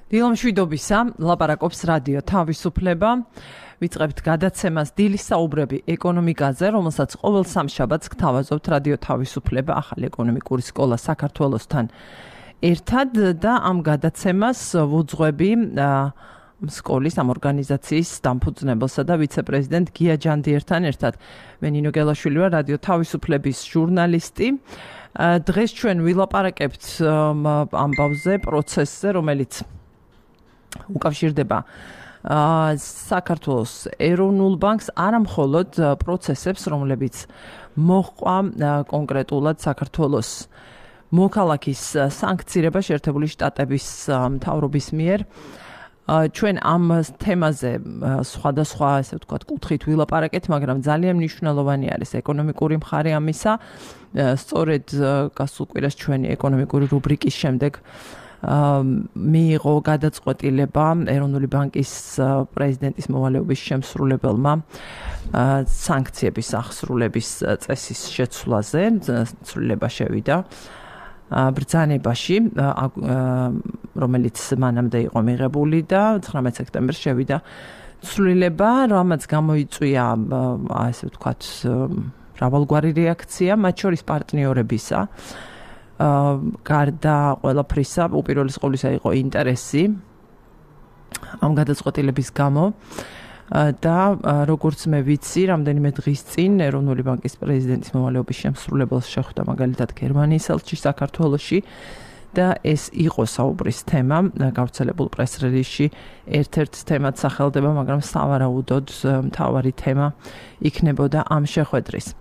დილო მშვიდობისა, ლაპარაკობს რადიო თავისუფლება. ვიწყებთ გადაცემას დილის საუბრები ეკონომიკაზე, რომელსაც ყოველ სამშაბათს გთავაზობთ რადიო თავისუფლება ახალი ეკონომიკური სკოლა საქართველოსთან ერთად და ამ გადაცემას ვუძღვები სკოლის ამ ორგანიზაციის დამფუძნებელსა და ვიცე-პრეზიდენტ გია ჯანდიერთან ერთად. მე ნინო გელაშვილი ვარ, რადიო თავისუფლების ჟურნალისტი. დღეს ჩვენ ვილაპარაკებთ ამბავზე, პროცესზე, რომელიც უკავშირდება საქართველოს ეროვნულ ბანკს, არა მხოლოდ პროცესებს, რომლებიც მოჰყვა კონკრეტულად საქართველოს მოქალაქის სანქცირება შეერთებული შტატების მთავრობის მიერ. ჩვენ ამ თემაზე სხვადასხვა, ესე ვთქვათ, კუთხით ვილაპარაკეთ, მაგრამ ძალიან მნიშვნელოვანი არის ეკონომიკური მხარე ამისა. სწორედ გასულ კვირას ჩვენი ეკონომიკური რუბრიკის შემდეგ მიიღო გადაწყვეტილება ეროვნული ბანკის პრეზიდენტის მოვალეობის შემსრულებელმა სანქციების აღსრულების წესის შეცვლაზე. ცვლილება შევიდა ბრძანებაში, რომელიც მანამდე იყო მიღებული და 19 სექტემბერს შევიდა ცვლილება, რამაც გამოიწვია, ასე ვთქვათ, მრავალგვარი რეაქცია, მათ შორის პარტნიორებისა. გარდა ყველაფრისა, უპირველეს ყოვლისა იყო ინტერესი ამ გადაწყვეტილების გამო და როგორც მე ვიცი, რამდენიმე დღის წინ ეროვნული ბანკის პრეზიდენტის მოვალეობის შემსრულებელს შეხვდა მაგალითად გერმანიის ელჩი საქართველოში და ეს იყო საუბრის თემა, გავრცელებულ პრეს-რელიზში ერთ-ერთ თემად სახელდება, მაგრამ სავარაუდოდ მთავარი თემა იქნებოდა ამ შეხვედრის.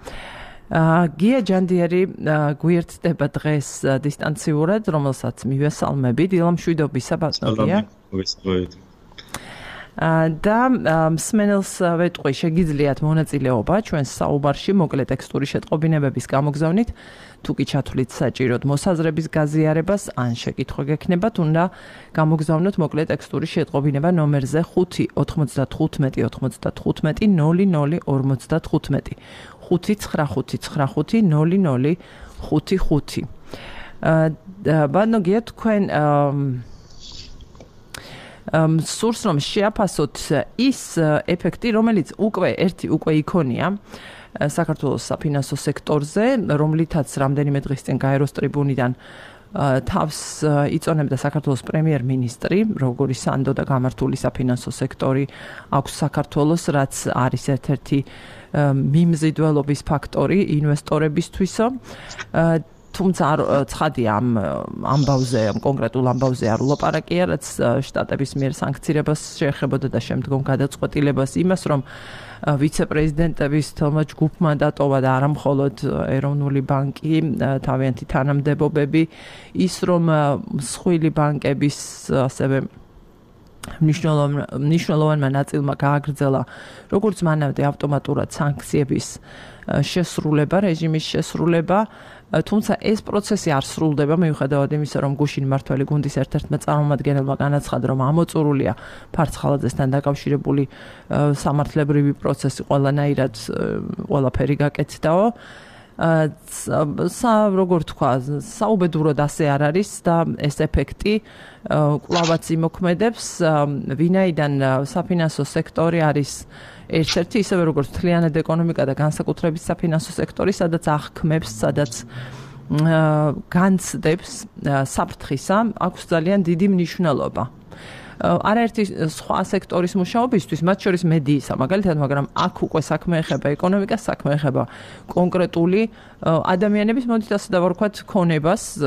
გია ჯანდიერი გვიერთდება დღეს დისტანციურად, რომელსაც მივესალმები. დილო მშვიდობისა, ბატონო გია. და მსმენელს ვეტყვი, შეგიძლიათ მონაწილეობა ჩვენს საუბარში მოკლე ტექსტური შეტყობინებების გამოგზავნით, თუ კი ჩათვლით საჭიროდ მოსაზრების გაზიარებას, ან შეკითხვა გექნებათ, უნდა გამოგზავნოთ მოკლე ტექსტური შეტყობინება ნომერზე 5-95-95-00-0055. 5-955-00-55. ბატონო გია, თქვენ სურს რომ შეაფასოთ ის ეფექტი, რომელიც უკვე იქონია საქართველოს საფინანსო სექტორზე, რომლითაც რამდენიმე დღის წინ გაეროს ტრიბუნიდან თავს იწონებდა საქართველოს პრემიერ-მინისტრი, როგორი სანდო და გამართული საფინანსო სექტორი აქვს საქართველოს, რაც არის ერთ-ერთი მიმზიდველობის ფაქტორი ინვესტორებისთვისო. თუმცა ცხადია ამ ამბავზე, ამ კონკრეტულ ამბავზე არ ვლაპარაკია, რაც შტატების მიერ სანქცირებას შეეხებოდა და შემდგომ გადაწყვეტილებას იმას, რომ ვიცე-პრეზიდენტების თელმა ჯგუფმა დატოვა და არა მხოლოდ ეროვნული ბანკი, თავიანთი თანამდებობები, ის რომ მსხვილი ბანკების ასევე მნიშვნელოვანმა ნაწილმა გააგრძელა როგორც მანამდე ავტომატურად სანქციების შესრულება, რეჟიმის შესრულება, თუმცა ეს პროცესი არ სრულდება, მიუხედავად იმისა, რომ გუშინ მმართველი გუნდის ერთ-ერთმა წარმომადგენელმა განაცხადა, რომ ამოწურულია ფარცხალაძესთან დაკავშირებული სამართლებრივი პროცესი ყველანაირად ყველაფერი გაკეთდაო. როგორ თქვა, საუბედუროდ ასე არ არის და ეს ეფექტი კვლავაც იმოქმედებს, ვინაიდან საფინანსო სექტორი არის ერთ-ერთი, ისევე როგორც მთლიანად ეკონომიკა და განსაკუთრებით საფინანსო სექტორი, სადაც აღქმებს, სადაც განცდებს საფრთხისა, აქვს ძალიან დიდი მნიშვნელობა. არაერთი სხვა სექტორის მუშაობისთვის, მათ შორის მედიისა, მაგალითად, მაგრამ აქ უკვე საქმე ეხება ეკონომიკას, საქმე ეხება კონკრეტული ადამიანების, მოდით ასე დავარქვათ, ქონებას,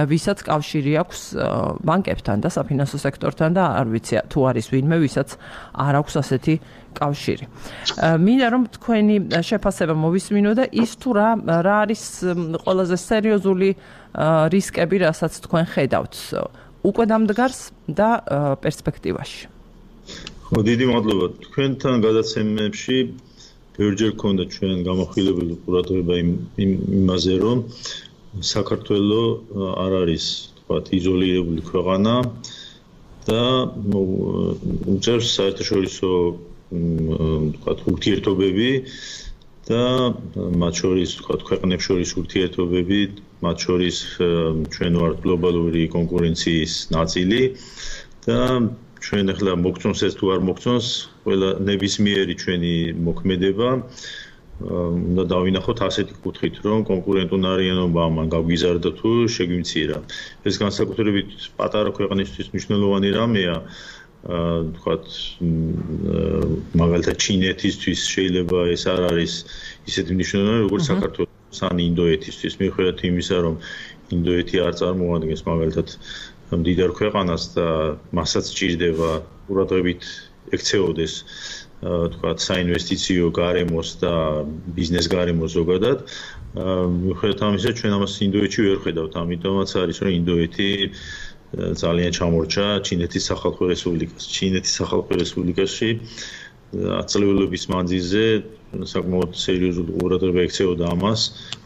ვისაც კავშირი აქვს ბანკებთან და საფინანსო სექტორთან და არ ვიცი თუ არის ვინმე, ვისაც არ აქვს ასეთი კავშირი. მინდა რომ თქვენი შეფასება მოვისმინო და ის თუ რა არის ყველაზე სერიოზული რისკები, რასაც თქვენ ხედავთ უკვე დამდგარს და პერსპექტივაში. ხო, დიდი მადლობა. თქვენთან გადაცემებში ბევრჯერ გქონდა ჩვენ გამოხილებული ყურადღება იმაზე, რომ საქართველოს არ არის, თქვათ, იზოლირებული ქვეყანა და უწევს საერთაშორისო, თქვათ, ურთიერთობები და მათ შორის, თქვათ, ქვეყნებს შორის ურთიერთობები, მათ შორის ჩვენ ვართ გლობალური კონკურენციის ნაწილი და ჩვენ ახლა მოგწონს ეს თუ არ მოგწონს, ყველა ნებისმიერი ჩვენი მოქმედება უნდა დავინახოთ ასეთი კუთხით, რომ კონკურენტუნარიანობა ამან გაგვიზარდა თუ შეგვიმცირა. ეს განსაკუთრებით პატარა ქვეყნისთვის მნიშვნელოვანი რამეა, თქვათ, მაგალითად ჩინეთისთვის შეიძლება ეს არ არის ისეთი მნიშვნელოვანი, როგორც საქართველოს ან ინდოეთისთვის. მიუხედავად იმისა, რომ ინდოეთი არ წარმოადგენს მაგალითად მდიდარ ქვეყანას და მასაც სჭირდება ყურადღებით ექცეოდეს თქვათ საინვესტიციო გარემოს და ბიზნეს გარემოს ზოგადად. მიუხედავად ამისა, ჩვენ ამას ინდოეთში ვერ ხედავთ, ამიტომაც არის, რომ ინდოეთი ძალიან ჩამორჩა ჩინეთის სახალხო რესპუბლიკას. ჩინეთის სახალხო რესპუბლიკაში აწლეულების მანძილზე საკმაოდ სერიოზული ყურადღება ექცეოდა ამას.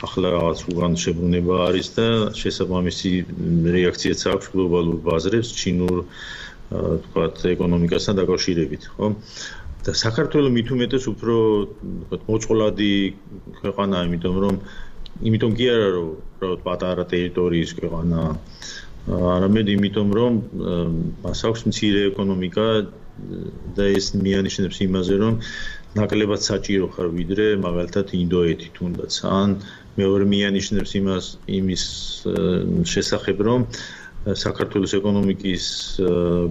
ახლა რაღაც უღან შებრუნება არის და შესაბამისი რეაქციაც აქვს გლობალურ ბაზრებს ჩინურ თქვათ ეკონომიკასთან დაკავშირებით, ხო? და საქართველოს მით უმეტეს უფრო თქვათ მოწყვლადი ქვეყანაა, იმიტომ კი არა რომ უბრალოდ პატარა ტერიტორიის ქვეყანაა, არამედ იმიტომ რომ მას აქვს მცირე ეკონომიკა და ეს მიანიშნებს იმაზე, რომ ნაკლებად საჭირო ხარ ვიდრე მაგალითად ინდოეთი თუნდაც. ან მეორე მიანიშნებს იმის შესახებ, რომ საქართველოს ეკონომიკის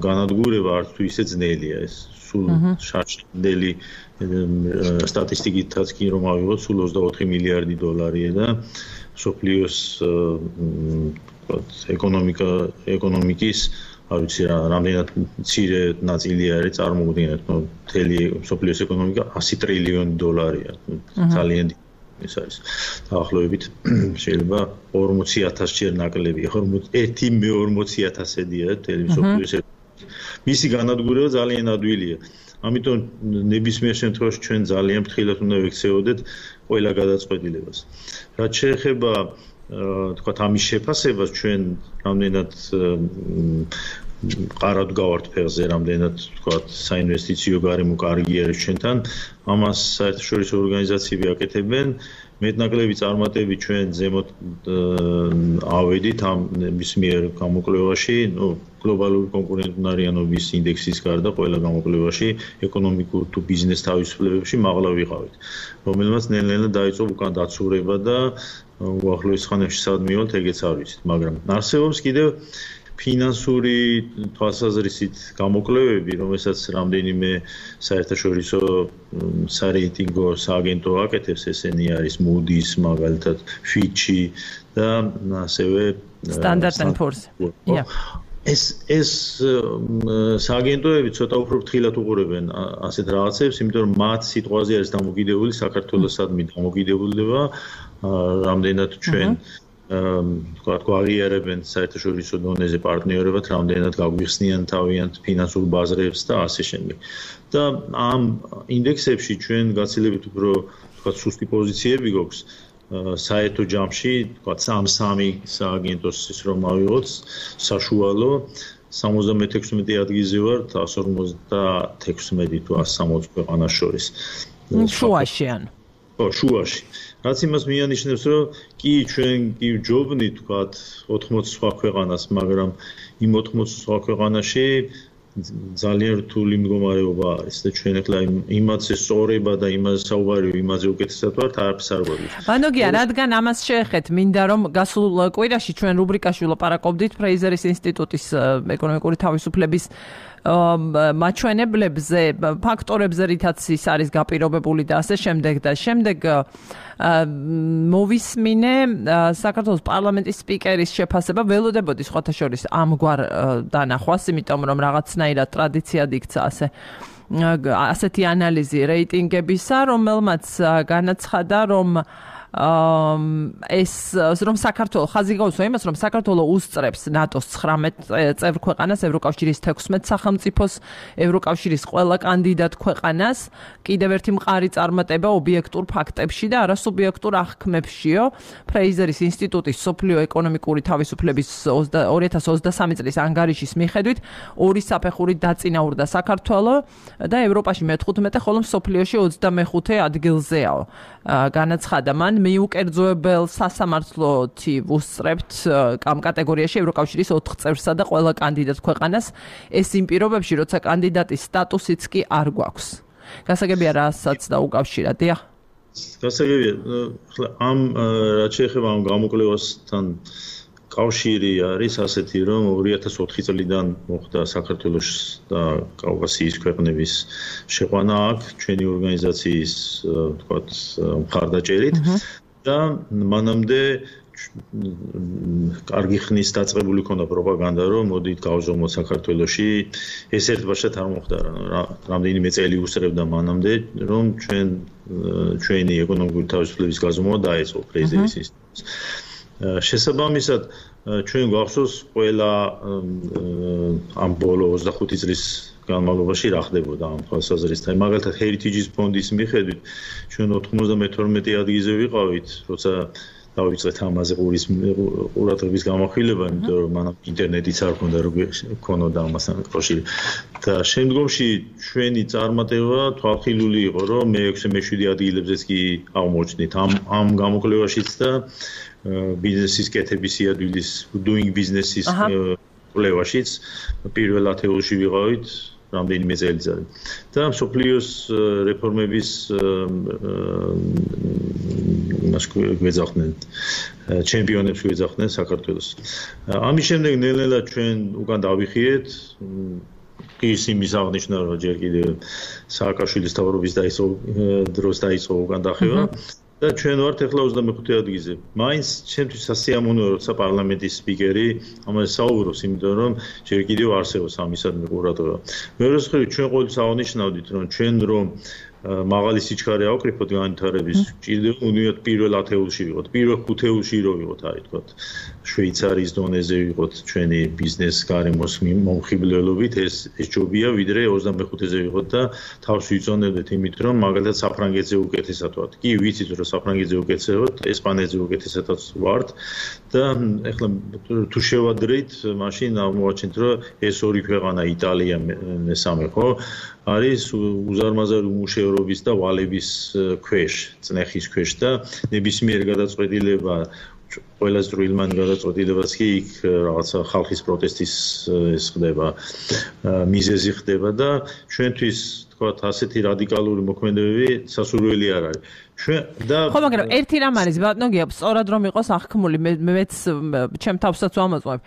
განადგურება არც თუ ისე ძნელია. ეს სულ შარშანდელი სტატისტიკითაც კი რომ ავიღოთ, სულ 24 მილიარდი დოლარია და სოფლიოს ეკონომიკის არ ვიცი რამდენად მცირე ნაწილი არის წარმოუდგენად, მთელი სოფლიოს ეკონომიკა 100 ტრილიონი დოლარია. ძალიან ეს არის. დაახლოებით შეიძლება 40,000 ჯერ ნაკლებია, 1/40,000-ედია მთელი სოფლიოს. მისი განადგურება ძალიან ადვილია. ამიტომ ნებისმიერ შემთხვევაში ჩვენ ძალიან ფრთხილად უნდა ვექცეოდეთ ყველა გადაწყვეტილებას. რაც შეეხება თქვათ ამის შეფასებას, ჩვენ რამდენად ყარად გავართ ფეხზე, რამდენად თქვათ საინვესტიციო გარემო კარგი არის ჩვენთან, ამას საერთაშორისო ორგანიზაციები აკეთებენ. მეტნაკლები წარმატები ჩვენ ზემოთ ავედით ამ ნებისმიერ გამოკვლევაში, გლობალური კონკურენტუნარიანობის ინდექსის გარდა ყველა გამოკვლევაში ეკონომიკურ თუ ბიზნეს თავისუფლებებში მაღლა ვიყავით, რომელმაც ნელ-ნელა დაიწყო უკან დაცურება და უახლოეს ხანებში სად მივალთ, ეგეც არ ვიცით, მაგრამ არსებობს კიდევ ფინანსური თვალსაზრისით გამოკვლევები, რომელსაც რამდენიმე საერთაშორისო სარეიტინგო სააგენტო აკეთებს, ესენი არის Moody's, მაგალითად Fitch და ასევე Standard & Poor's. ეს სააგენტოები ცოტა უფრო ფრთხილად უყურებენ ასეთ რაღაცებს, იმიტომ რომ მათ სიტყვაზე არის დამოკიდებული საქართველოს სადმი დამოკიდებულება, რამდენად ჩვენ თქვათ გვაღიარებენ საერთაშორისო დონეზე პარტნიორებად, რამდენად გაგვიხსნიან თავიანთ ფინანსურ ბაზრებს და ასე შემდეგ. და ამ ინდექსებში ჩვენ გაცილებით უფრო თქვათ სუსტი პოზიციები გვაქვს საერთო ჯამში, თქვათ 3 სააგენტოს ის რომ ავიღოთ, საშუალო 76 ადგილზე ვარ 156 თუ 160 ქვეყანას შორის. შუაში ან შუაში. რაც იმას მიანიშნებს, რომ კი ჩვენ კი ვჯობნით თქვათ 80 სხვა ქვეყანას, მაგრამ იმ 80 სხვა ქვეყანაში ძალიან რთული მდგომარეობა არის და ჩვენ ახლა იმაზე სწორება და იმაზე საუბარი იმაზე უკეთესად ვართ, არაფერს არ გვაქვს. ბანოგია, რადგან ამას შეეხეთ, მინდა რომ გასულ კვირაში ჩვენ რუბრიკაში ვლაპარაკობდით ფრეიზერის ინსტიტუტის ეკონომიკური თავისუფლების მაჩვენებლებზე, ფაქტორებზე, რითაც ის არის გაპირობებული და ასე შემდეგ და შემდეგ მოვისმინე საქართველოს პარლამენტის სპიკერის შეფასება, ველოდებოდი სხვათა შორის ამგვარ დანახვას, იმიტომ რომ რაღაცნაირად ტრადიციად იქცა ასეთი ანალიზი რეიტინგებისა, რომელმაც განაცხადა, რომ ეს რომ საქართველოს ხაზი გაუსვა იმას, რომ საქართველოს უსწრებს ნატოს 19 წევრ ქვეყანას, ევროკავშირის 16 სახელმწიფოს, ევროკავშირის ყველა კანდიდატ ქვეყანას, კიდევ ერთი მყარი წარმატება ობიექტურ ფაქტებში და არასუბიექტურ აღქმებშიო. ფრეიზერის ინსტიტუტის სოფლიო ეკონომიკური თავისუფლების 2023 წლის ანგარიშის მიხედვით, ორი საფეხურით დაწინაურდა საქართველოს და ევროპაში მე-15, ხოლო მსოფლიოში 25 ადგილზეაო. განაცხადა მან მიუკერძოებელ სასამართლოთი ვუსწრებთ ამ კატეგორიაში ევროკავშირის 4 წევრსა და ყველა კანდიდატ ქვეყანას ეს იმ პირობებში, როცა კანდიდატის სტატუსიც კი არ გვაქვს. გასაგებია რასაც დაუკავშირა, დიახ. გასაგებია, ამ რაც შეეხება ამ გამოკვლევასთან კავშირი არის ასეთი, რომ 2004 წლიდან მოხდა საქართველოს და კავკასიის ქვეყნების შეყვანა აქ ჩვენი ორგანიზაციის თქვათ მხარდაჭერით და მანამდე კარგი ხნის დაწყებული ქონდა პროპაგანდა, რომ მოდით გავზომოთ საქართველოში, ეს ერთბაშად არ მოხდა, რამდენიმე წელი უსწრებდა მანამდე, რომ ჩვენი ეკონომიკური თავისუფლების გაზომვა დაეწყო პრეზიდენტის ინსტიტუტს. შესაბამისად, ჩვენ გვახსოვს ყველა ამ ბოლო 25 წლის განმავლობაში რა ხდებოდა ამ თვალსაზრისით. მაგალითად, Heritage ფონდის მიხედვით, ჩვენ 92 ადგილზე ვიყავით, როცა დავიწყეთ ამაზე ყურადღების გამახვილება, იმიტომ რომ მანამ ინტერნეტიც არ ქონდა, როგორ ქონოდა ამასთან კავშირი. და შემდგომში ჩვენი წარმატება თვალხილული იყო, რომ მე-6 მე-7 ადგილებზეც კი აღმოჩნდით ამ გამოკვლევაშიც და ბიზნესის კეთების სიადვილის doing business-ის კვლევაშიც პირველ ათეულში ვიყავით რამდენიმე წელიწად. და მსოფლიოს რეფორმების გვეძახდნენ ჩემპიონებს გვეძახდნენ საქართველოს. ამის შემდეგ ნელ-ნელა ჩვენ უკან დავიხიეთ ის იმის აღნიშნა, რომ ჯერ კიდევ სააკაშვილის თავრობის დროს დაიწყო უკან დახევა. და ჩვენ ვართ ახლა 25 ადგილზე. მაინც ჩემთვის სასიამოვნოა, როცა პარლამენტის სპიკერი ამაზე საუბრობს, იმიტომ რომ ჯერ კიდევ არსებობს ამისადმი ყურადღება. მეორე მხრივ, ჩვენ ყოველთვის აღნიშნავდით, რომ ჩვენ რომ მაღალი სიჩქარე ავკრიფოთ განვითარების, ჭირდება უნდათ პირველ ათეულში ვიყოთ, პირველ ხუთეულში რო ვიყოთ, არის თქვა, შვეიცარიის დონეზე ვიყოთ ჩვენი ბიზნეს გარემოს მომხიბლელობით, ეს ჯობია, ვიდრე 25-ზე ვიყოთ და თავს ვიწონებდეთ იმით, რომ მაგალითად საფრანგეთზე უკეთესად ვართ. კი, ვიცით, რომ საფრანგეთზე უკეთესად ვართ, ესპანეთზე უკეთესადაც ვართ და ეხლა თუ შევადრით, მაშინ აღმოვაჩენთ, რომ ეს ორი ქვეყანა, იტალია მესამე, ხო? არის უზარმაზარი უმუშევრობის და ვალების ქვეშ, წნეხის ქვეშ და ნებისმიერ გადაწყვეტილება, ყველა წვრილმან გადაწყვეტილებაც კი იქ რაღაცა ხალხის პროტესტის ეს ხდება, მიზეზი ხდება და ჩვენთვის თქვათ ასეთი რადიკალური მოქმედებები სასურველი არ არის. ხო, მაგრამ ერთი რამ არის, ბატონო გიაბ, სწორად რომ იყოს აღქმული, მეც ჩემ თავსაც ვამოწმებ.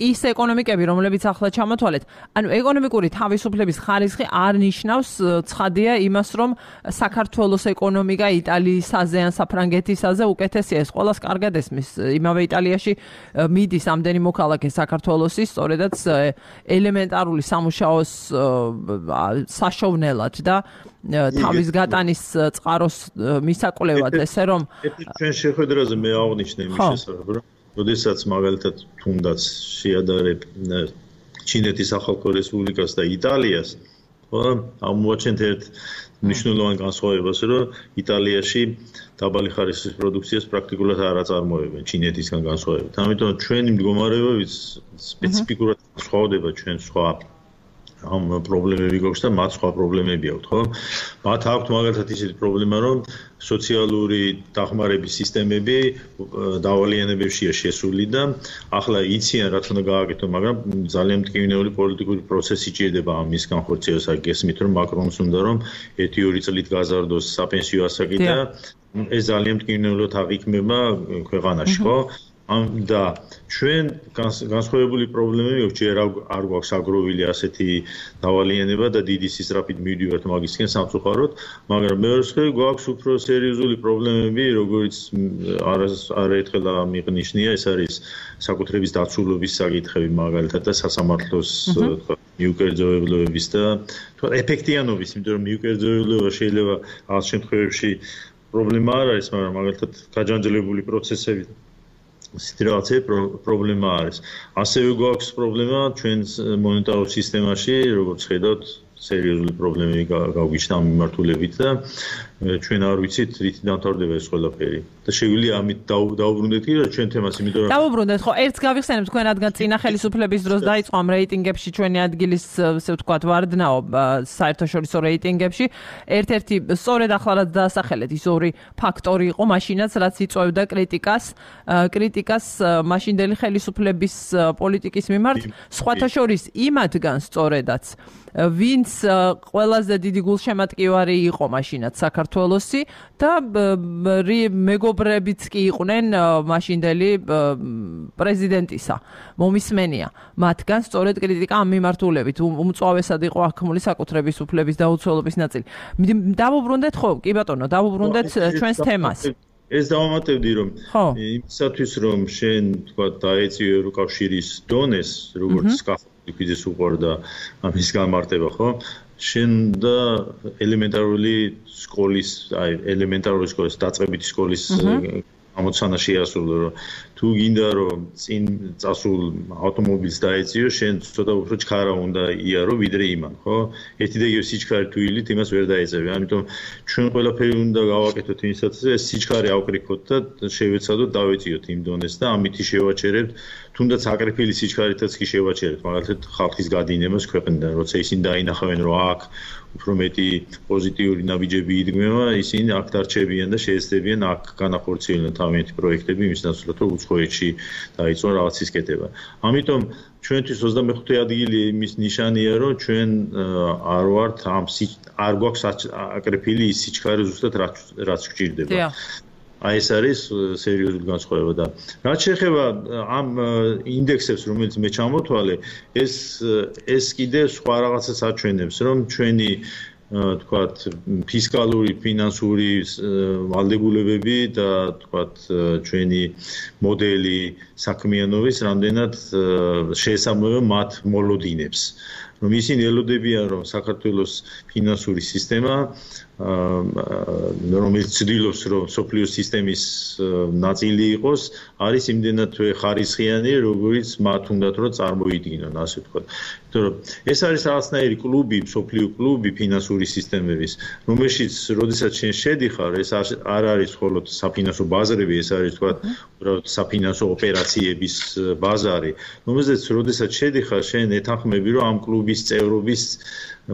ის ეკონომიკები, რომლებიც ახლა ჩამოთვალეთ, ანუ ეკონომიკური თავისუფლების ხარისხი არ ნიშნავს ცხადია იმას, რომ საქართველოს ეკონომიკა იტალიისაზე ან საფრანგეთისაზე უკეთესია. ეს ყველას კარგად ესმის. იმავე იტალიაში მიდის ამდენი მოქალაქე საქართველოსის, სწორედაც ელემენტარული სამუშაოს საშოვნელად და თავის გატანის წყაროს მისაკვლევად, ესე რომ ჩვენ შეხვედრაზე მე აღნიშნე იმის შესახებ, რომ როდესაც მაგალითად თუნდაც შეადარებ ჩინეთის სახალხო რესპუბლიკას და იტალიას, ხო, აღმოაჩენთ ერთ მნიშვნელოვან განსხვავებას, რომ იტალიაში დაბალი ხარისხის პროდუქციას პრაქტიკულად არ აწარმოებენ ჩინეთისგან განსხვავებით. ამიტომ ჩვენი მდგომარეობაც სპეციფიკურად სხვადება ჩვენ სხვა ამ პრობლემები გვაქვს და მათ სხვა პრობლემები აქვთ, ხო? მათ აქვთ მაგალითად ისეთი პრობლემა, რომ სოციალური დახმარების სისტემები დავალიანებებშია შესული და ახლა იციან რაც უნდა გააკეთონ, მაგრამ ძალიან მტკივნეული პოლიტიკური პროცესი ჭირდება ამის განხორციელებას. გესმით, რომ მაკრონს უნდა რომ 1-2 წლით გაზარდოს sapensio ასაკი და ეს ძალიან მტკივნეულად აღიქმება ქვეყანაში, ხო? და ჩვენ განსხვავებული პრობლემები აქვს, ჯერ არ გვაქვს აგროვილი ასეთი დავალიანება და დიდი სისწრაფით მივდივართ მაგისკენ სამწუხაროდ, მაგრამ მეორე მხრივ გვაქვს უფრო სერიოზული პრობლემები, როგორც არაერთხელ მიყნიშნია, ეს არის საკუთრების დაცულობის საკითხები მაგალითად და სასამართლოს მიუკერძოებლობების და ეფექტიანობის, იმიტომ რომ მიუკერძოებლობა შეიძლება რაღაც შემთხვევებში პრობლემა არ არის, მაგრამ მაგალითად გაჯანჯლებული პროცესები სიტუაცია პრობლემა არის. ასევე გვაქვს პრობლემა ჩვენს მონეტარულ სისტემაში, როგორც ხედავთ, სერიოზული პრობლემები გავგიჩნდა ამ მიმართულებით და ჩვენ არ ვიცით რით დამთავრდება ეს ყველაფერი. და შეგვიძლია ამით დავუბრუნდეთ კი რა ჩვენ თემას, იმიტომ რომ დავუბრუნდეთ, ხო, ერთს გავიხსენებთ, თქვენ რადგან წინა ხელისუფლების დროს დაიწყო ამ რეიტინგებში ჩვენი ადგილის, ასე ვთქვათ, ვარდნაო საერთაშორისო რეიტინგებში. ერთ-ერთი სწორედ ახლა რაც დაასახელეთ, ის ორი ფაქტორი იყო მაშინაც, რაც იწვევდა კრიტიკას მაშინდელი ხელისუფლების პოლიტიკის მიმართ, სხვათა შორის იმათგან სწორედაც ვინც ყველაზე დიდი გულშემატკივარი იყო მაშინაც საქართველოსი და მეგობრებიც კი იყვნენ მაშინდელი პრეზიდენტისა მომისმენია მათგან სწორედ კრიტიკა ამ მიმართულებით უმწვავესად იყო აქმული საკუთრების უფლების დაუცველობის ნაწილი. დავუბრუნდეთ ხო კი ბატონო, დავუბრუნდეთ ჩვენს თემას. ეს დავამატებდი რომ იმისათვის რომ შენ თქვა დაეწიო ევროკავშირის დონეს როგორც ლიკვიდის უყურდა ამის გამარტება ხო შენ და ელემენტარული სკოლის დაწყებითი სკოლის ამოცანა შეასრულო რომ თუ გინდა რომ წინ წასულ ავტომობილს დაეწიო შენ ცოტა უფრო ჩქარა უნდა იარო ვიდრე იმან ხო ერთი და იგივე სიჩქარე თუ ილით იმას ვერ დაეწევი ამიტომ ჩვენ ყველაფერი უნდა გავაკეთოთ იმისათვის ეს სიჩქარე ავკრიფოთ და შევეცადოთ დავეწიოთ იმ დონეს და ამითი შევაჩერებთ თუნდაც აკრიფილი სიჩქარითაც კი შევაჩერებთ მაგალითად ხალხის გადინებას ქვეყნიდან როცა ისინი დაინახავენ რომ აქ უფრო მეტი პოზიტიური ნაბიჯები იდგმება ისინი აქ დარჩებიან და შეეცდებიან აქ განახორციელონ თავიანთი პროექტები იმის ნაცვლად რომ უცხოეთში დაიწყო რაღაცის კეთება. ამიტომ ჩვენთვის 25 ადგილი იმის ნიშანია რომ ჩვენ არ ვართ არ გვაქვს აკრიფილი ის სიჩქარე ზუსტად რაც გვჭირდება. აი ეს არის სერიოზული განსხვავება და რაც შეეხება ამ ინდექსებს რომელიც მე ჩამოთვალე ეს კიდე სხვა რაღაცას აჩვენებს რომ ჩვენი თქვათ ფისკალური ფინანსური ვალდებულებები და თქვათ ჩვენი მოდელი საქმიანობის რამდენად შეესაბამება მათ მოლოდინებს რომ ისინი ელოდებიან რომ საქართველოს ფინანსური სისტემა რომელიც ცდილობს რომ სოფლიო სისტემის ნაწილი იყოს არის იმდენად ხარისხიანი როგორც მათ უნდათ რომ წარმოიდგინონ ასე ვთქვათ იმიტომ რომ ეს არის რაღაცნაირი კლუბი სოფლიო კლუბი ფინანსური სისტემების რომელშიც როდესაც შენ შედიხარ ეს არ არის მხოლოდ საფინანსო ბაზრები ეს არის ვთქვათ უბრალოდ საფინანსო ოპერაციების ბაზარი რომელზეც როდესაც შედიხარ შენ ეთანხმები რომ ამ კლუბის წევრობის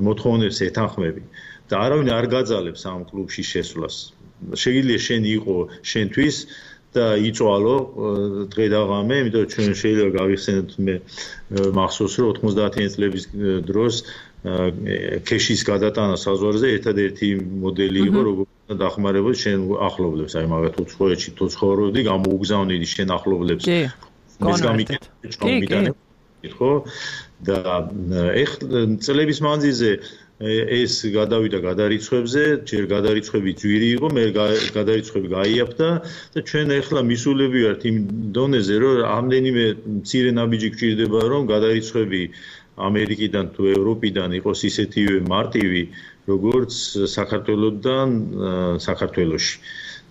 მოთხოვნებს ეთანხმები და არავინ არ გაძალებს ამ კლუბში შესვლას. შეიძლება შენ იყო შენთვის და იწვალო დღე და ღამე, იმიტომ რომ ჩვენ შეიძლება გავიხსენოთ მე მახსოვს რომ 90-იან წლების დროს ქეშის გადატანა საზღვარზე ერთადერთი მოდელი იყო როგორც დახმარებოდა შენ ახლობლებს, აი მაგათ უცხოეთში თუ ცხოვრობდი, გამოუგზავნიდი შენ ახლობლებს. ეს გამიგეთ ხო და ეხლა წლების მანძილზე ეს გადავიდა გადარიცხვებზე, ჯერ გადარიცხვები ძვირი იყო, მე გადარიცხვები გაიაფთა და ჩვენ ახლა მისულები ვართ იმ დონეზე, რომ ამდენიმე მცირე ნაბიჯი გვჭირდება, რომ გადარიცხვები ამერიკიდან თუ ევროპიდან იყოს ისეთივე მარტივი, როგორც საქართველოსთან საქართველოში.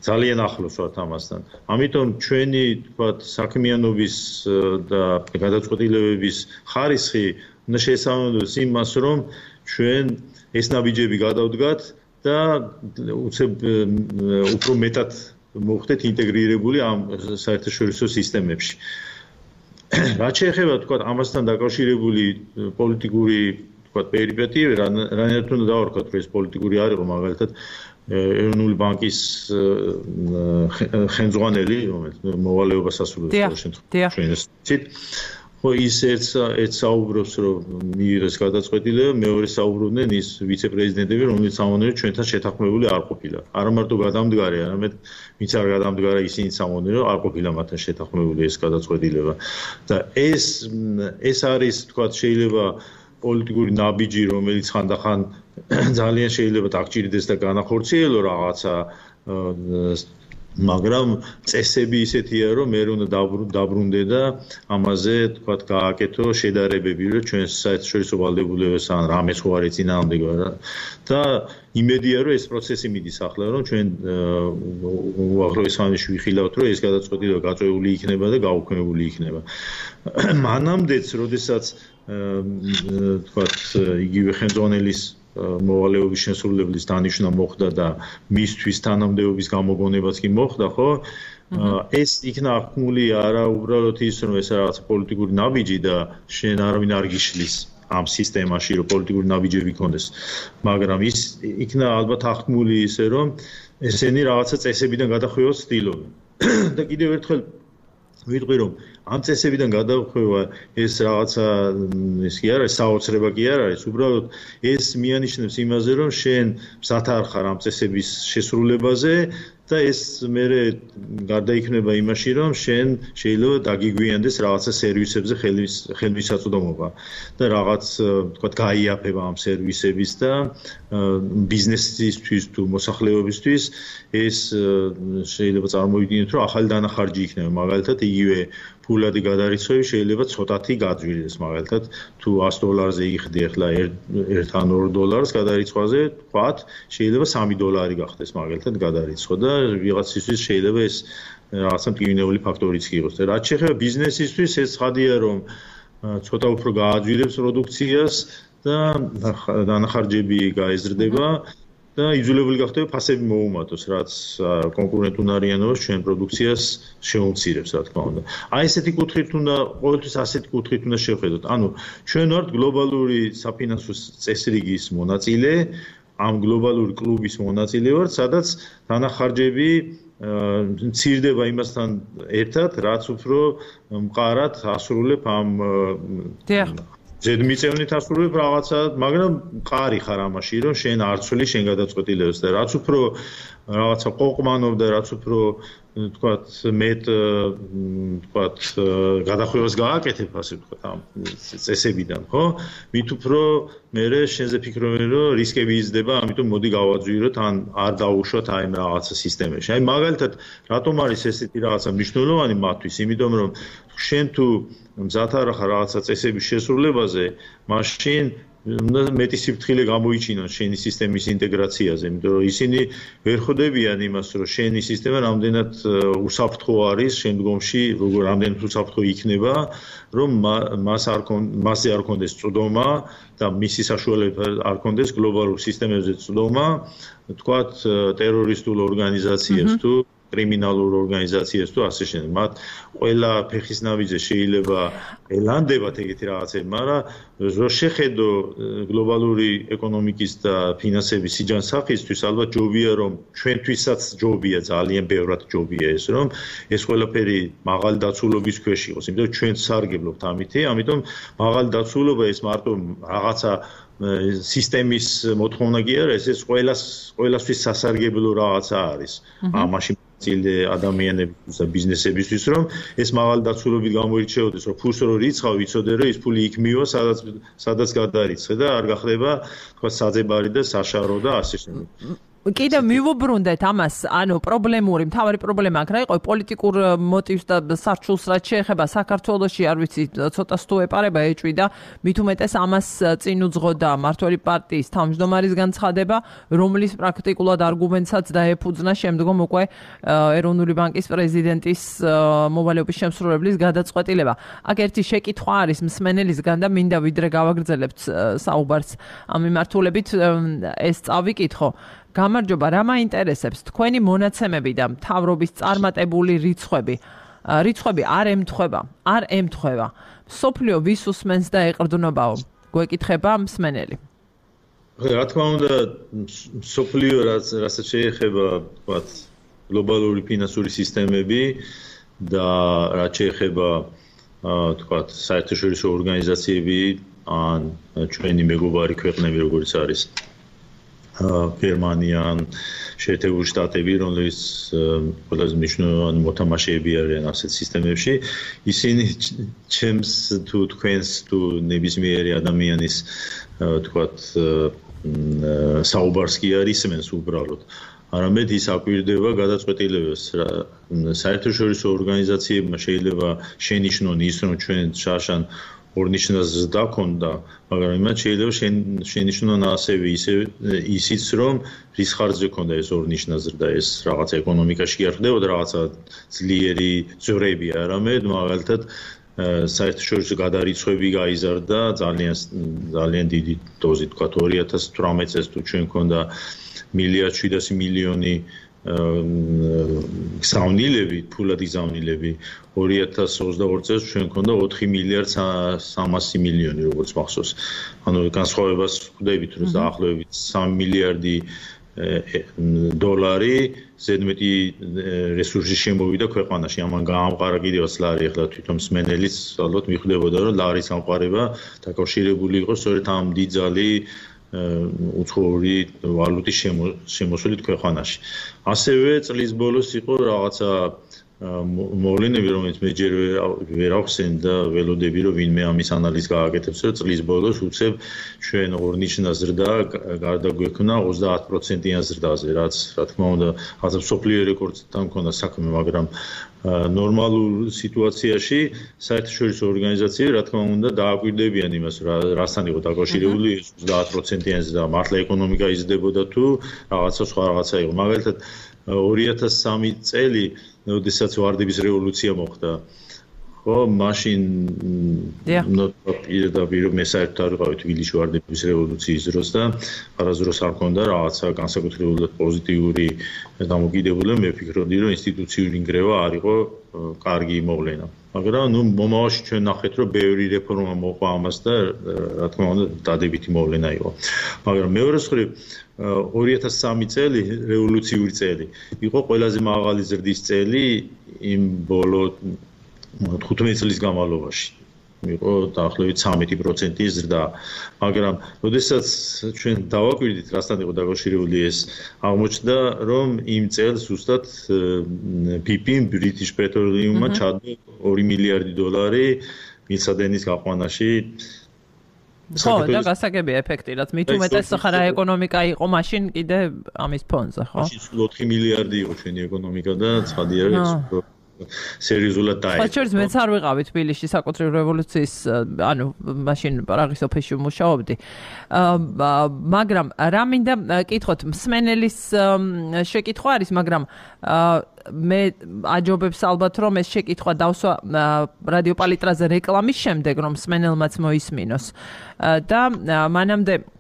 ძალიან ახლოს ვართ ამასთან. ამიტომ ჩვენი თქვათ საქმიანობის და გადაწყვეტილებების ხარისხი უნდა შეესაბამებოდეს იმას, რომ ჩვენ ეს ნაბიჯები გადავდგათ და უცებ უფრო მეტად მოხდეთ ინტეგრირებული ამ საერთაშორისო სისტემებში. რაც შეეხება თქვათ ამასთან დაკავშირებული პოლიტიკური თქვათ პერიპეტიები, რანაირად უნდა დავარქვათ, რომ ეს პოლიტიკური არ იყო, მაგალითად ეროვნული ბანკის ხელმძღვანელი, რომელიც მოვალეობას ასრულებს შემთხვევაში. ხო ის ერთ საუბრობს რომ მიიღეს გადაწყვეტილება, მეორე საუბრობდნენ ის ვიცე-პრეზიდენტები, რომელიც ამონერე ჩვენთან შეთანხმებული არ ყოფილა. არა მარტო გადამდგარი, არამედ ვინც არ გადამდგარა, ისინი ამონერე არ ყოფილა მათთან შეთანხმებული ეს გადაწყვეტილება. და ეს არის თქვათ შეიძლება პოლიტიკური ნაბიჯი, რომელიც ხანდახან ძალიან შეიძლება დაგჭირდეს და განახორციელო რაღაცა მაგრამ წესები ისეთია რომ მე უნდა დაბრუნდე და ამაზე თქვათ გააკეთო შედარებები რომ ჩვენს საერთაშორისო ვალდებულებებთან რამეც ხო არის წინააღმდეგობა და იმედია რომ ეს პროცესი მიდის ახლა რომ ჩვენ უახლოეს ხანაში ვიხილავთ რომ ეს გადაწყვეტილება გაწეული იქნება და გაუქმებული იქნება. მანამდეც როდესაც თქვათ იგივე ხელმძღვანელის მოვალეობის შესრულებლის დანიშვნა მოხდა და მისთვის თანამდებობის გამოგონებაც კი მოხდა, ხო? ეს იქნა აღქმული არა უბრალოდ ის, რომ ეს რაღაც პოლიტიკური ნაბიჯი და შენ არავინ არ გიშლის ამ სისტემაში, რომ პოლიტიკური ნაბიჯები გქონდეს, მაგრამ ის იქნა ალბათ აღქმული ისე, რომ ესენი რაღაცა წესებიდან გადახვევას ცდილობენ. და კიდევ ერთხელ ვიტყვი, რომ ამ წესებიდან გადახვევა ეს რაღაცა ის კი არ არის, საოცრება კი არ არის, უბრალოდ ეს მიანიშნებს იმაზე, რომ შენ მზად არ ხარ ამ წესების შესრულებაზე და ეს მერე გარდაიქმნება იმაში, რომ შენ შეიძლება დაგიგვიანდეს რაღაცა სერვისებზე ხელმისაწვდომობა და რაღაც თქვა გაიაფება ამ სერვისების და ბიზნესისთვის თუ მოსახლეობისთვის ეს შეიძლება წარმოვიდგინოთ, რომ ახალი დანახარჯი იქნება, მაგალითად იგივე ფულადი გადარიცხვები შეიძლება ცოტათი გაძვირდეს, მაგალითად თუ $100-ზე იხდი ახლა $1 ან $2 გადარიცხვაზე, თქვათ, შეიძლება $3 გახდეს მაგალითად გადარიცხვა და ვიღაცისთვის შეიძლება ეს რაღაცა მტკივნეული ფაქტორიც იყოს. და რაც შეეხება ბიზნესისთვის, ეს ცხადია, რომ ცოტა უფრო გააძვირებს პროდუქციას და დანახარჯები გაეზრდება და იძულებული გახდება ფასები მოუმატოს, რაც კონკურენტუნარიანობას ჩვენ პროდუქციას შეუმცირებს, რა თქმა უნდა. აი ესეთი კუთხით უნდა, ყოველთვის ასეთი კუთხით უნდა შევხედოთ. ანუ ჩვენ ვართ გლობალური საფინანსო წესრიგის მონაწილე, ამ გლობალური კლუბის მონაწილე ვართ, სადაც დანახარჯები მცირდება იმასთან ერთად, რაც უფრო მყარად ასრულებ ამ ზედმიწევნით ასრულებ რაღაცა, მაგრამ მყარი ხარ ამაში, რომ შენ არ ცვლი შენ გადაწყვეტილებას და რაც უფრო რაღაცა ყოყმანობ და რაც უფრო თქვათ მეტ თქვათ გადახვევას გააკეთებ, ასე ვთქვათ, ამ წესებიდან, ხო? მით უფრო მერე შენზე ფიქრობენ, რომ რისკები იზრდება, ამიტომ მოდი გავაძვიროთ ან არ დავუშვათ აი რაღაცა სისტემაში. აი მაგალითად, რატომ არის ესეთი რაღაცა მნიშვნელოვანი მათთვის? იმიტომ რომ შენ თუ მზად არ ხარ რაღაცა წესების შესრულებაზე, მაშინ უნდა მეტი სიფრთხილე გამოიჩინონ შენი სისტემის ინტეგრაციაზე, იმიტომ რომ ისინი ვერ ხვდებიან იმას, რომ შენი სისტემა რამდენად უსაფრთხო არის შემდგომში, რამდენად უსაფრთხო იქნება, რომ მასზე არ კონდეს წვდომა და მისი საშუალებით არ კონდეს გლობალურ სისტემებზე წვდომა, თქვათ ტერორისტულ ორგანიზაციებს თუ კრიმინალურ ორგანიზაციებს თუ ასე შემდეგ. მათ ყველა ფეხის ნაბიჯზე შეიძლება ელანდებათ ეგეთი რაღაცები, მაგრამ რო შეხედო გლობალური ეკონომიკის და ფინანსების სიჯანსაღისთვის, ალბათ ჯობია რომ ჩვენთვისაც ჯობია, ძალიან ბევრად ჯობია ეს, რომ ეს ყველაფერი მაღალი დაცულობის ქვეშ იყოს, იმიტომ ჩვენ სარგებლობთ ამითი, ამიტომ მაღალი დაცულობა ეს მარტო რაღაცა სისტემის მოთხოვნა კი არა, ეს ყველასთვის სასარგებლო რაღაცა არის. ამაში წილდე ადამიანებისთვის და ბიზნესებისთვის, რომ ეს მაღალი დაცულობით გამოირჩეოდეს, რომ ფულს რო რიცხავ, იცოდე, რომ ის ფული იქ მივა, სადაც გადარიცხე და არ გახდება, თქვა, საძებარი და საშარო და ასე შემდეგ. კიდევ მივუბრუნდეთ ამას, ანუ პრობლემური, მთავარი პრობლემა აქ რა იყო, პოლიტიკურ მოტივს და სარჩულს რაც შეეხება საქართველოში, არ ვიცი, ცოტა სთუ ეპარება ეჭვი და მით უმეტეს ამას წინ უძღოდა მმართველი პარტიის თავმჯდომარის განცხადება, რომლის პრაქტიკულად არგუმენტსაც დაეფუძნა შემდგომ უკვე ეროვნული ბანკის პრეზიდენტის მოვალეობის შემსრულებლის გადაწყვეტილება. აქ ერთი შეკითხვა არის მსმენელისგან და მინდა ვიდრე გავაგრძელებთ საუბარს ამ მიმართულებით ეს წავიკითხო. გამარჯობა, რა მაინტერესებს თქვენი მონაცემები და მთავრობის წარმატებული რიცხვები არ ემთხვევა. მსოფლიო ვის უსმენს და ეყრდნობაო? გვეკითხება მსმენელი. რა თქმა უნდა, მსოფლიო რასაც შეეხება, ვთქვათ, გლობალური ფინანსური სისტემები და რაც შეეხება, ვთქვათ, საერთაშორისო ორგანიზაციები ან ჩვენი მეგობარი ქვეყნები, როგორც არის გერმანია, შეერთებული შტატები, რომლებიც ყველაზე მნიშვნელოვანი მოთამაშეები არიან ასეთ სისტემებში, ისინი ჩემს თუ თქვენს თუ ნებისმიერი ადამიანის თქვათ საუბარს კი არ ისმენს უბრალოდ. არამედ ის აკვირდება გადაწყვეტილებას. საერთაშორისო ორგანიზაციებმა შეიძლება შენიშნონ ის, რომ ჩვენ შარშან ორნიშნას დაქონდა, მაგრამ იმათ შეიძლება შენიშნონ ასევე ისიც, რომ რის ხარჯზე ქონდა ეს ორნიშნა ზრდა, ეს რაღაცა ეკონომიკაში არ ხდებოდა რაღაცა ძლიერი ძვრები, არამედ მაგალითად საერთაშორისო გადარიცხვები გაიზარდა ძალიან დიდი დოზით, თქვა 2018 წელს თუ ჩვენ ქონდა 1.7 გზავნილები, ფულად გზავნილები 2022 წელს ჩვენ ქონდა 4.300 მილიონი როგორც მახსოვს. ანუ განსხვავებას ხვდებით, რომ დაახლოებით 3 მილიარდი $, ზედმეტი რესურსი შემოვიდა ქვეყანაში. ამან გაამყარა კიდევაც ლარი, ახლა თვითონ მსმენელიც ალბათ მიხვდებოდა, რომ ლარის ამყარება დაკავშირებული იყო სწორედ ამ დიდძალი უცხოური ვალუტის შემოსვლით ქვეყანაში. ასევე წლის ბოლოს იყო რაღაცა მოვლენები, რომელიც მე ჯერ ვერ ავხსენ და ველოდები, რომ ვინმე ამის ანალიზს გააკეთებს, რომ წლის ბოლოს უცებ ჩვენ ორნიშნა ზრდა გარდა გვექნა 30%-იან ზრდაზე, რაც რა თქმა უნდა, რაღაცა მსოფლიო რეკორდთან მქონდა საქმე, მაგრამ ნორმალურ სიტუაციაში საერთაშორისო ორგანიზაციები, რა თქმა უნდა, დააკვირდებიან იმას, რასთან იყო დაკავშირებული 30%-იან ზრდა, მართლა ეკონომიკა იზრდებოდა თუ რაღაცა სხვა რაღაცა იყო. მაგალითად 2003 წელი როდესაც ვარდების რევოლუცია მოხდა, ხო, მაშინ პირდაპირ მე საერთოდ არ ვიყავი თბილისში ვარდების რევოლუციის დროს და არასდროს არ მქონდა რაღაცა განსაკუთრებულად პოზიტიური დამოკიდებულება. მე ვფიქრობდი, რომ ინსტიტუციური ნგრევა არ იყო კარგი მოვლენა. მაგრამ მომავალში ჩვენ ნახეთ, რომ ბევრი რეფორმა მოყვა ამას და რა თქმა უნდა დადებითი მოვლენა იყო. მაგრამ მეორე მხრივ 2003 წელი რევოლუციური წელი იყო ყველაზე მაღალი ზრდის წელი იმ ბოლო 15 წლის განმავლობაში. იყო დაახლოებით 13% ზრდა. მაგრამ როდესაც ჩვენ დავაკვირდით, რასთან იყო დაკავშირებული ეს, აღმოჩნდა, რომ იმ წელს ზუსტად BP-მ British Petroleum-მა ჩადო $2 მილიარდი მილსადენის გაყვანაში. ხო, და გასაგებია ეფექტი, რაც მით უმეტეს ხარა ეკონომიკა იყო მაშინ კიდე ამის ფონზე, ხო? მაშინ 4 მილიარდი იყო ჩვენი ეკონომიკა და ცხადია, რომ სერიოზულად დაიწყო. ხოჭერს მეც არ ვიყავი თბილისში საკუთრივ რევოლუციის, ანუ მაშინ პრაღის ოფისში მუშაობდი. მაგრამ რა მინდა კითხოთ, მსმენელის შეკითხვა არის, მაგრამ მე აჯობებს ალბათ რომ ეს შეკითხვა დავსვა რადიო პალიტრაზე რეკლამის შემდეგ, რომ მსმენელმაც მოისმინოს. და მანამდე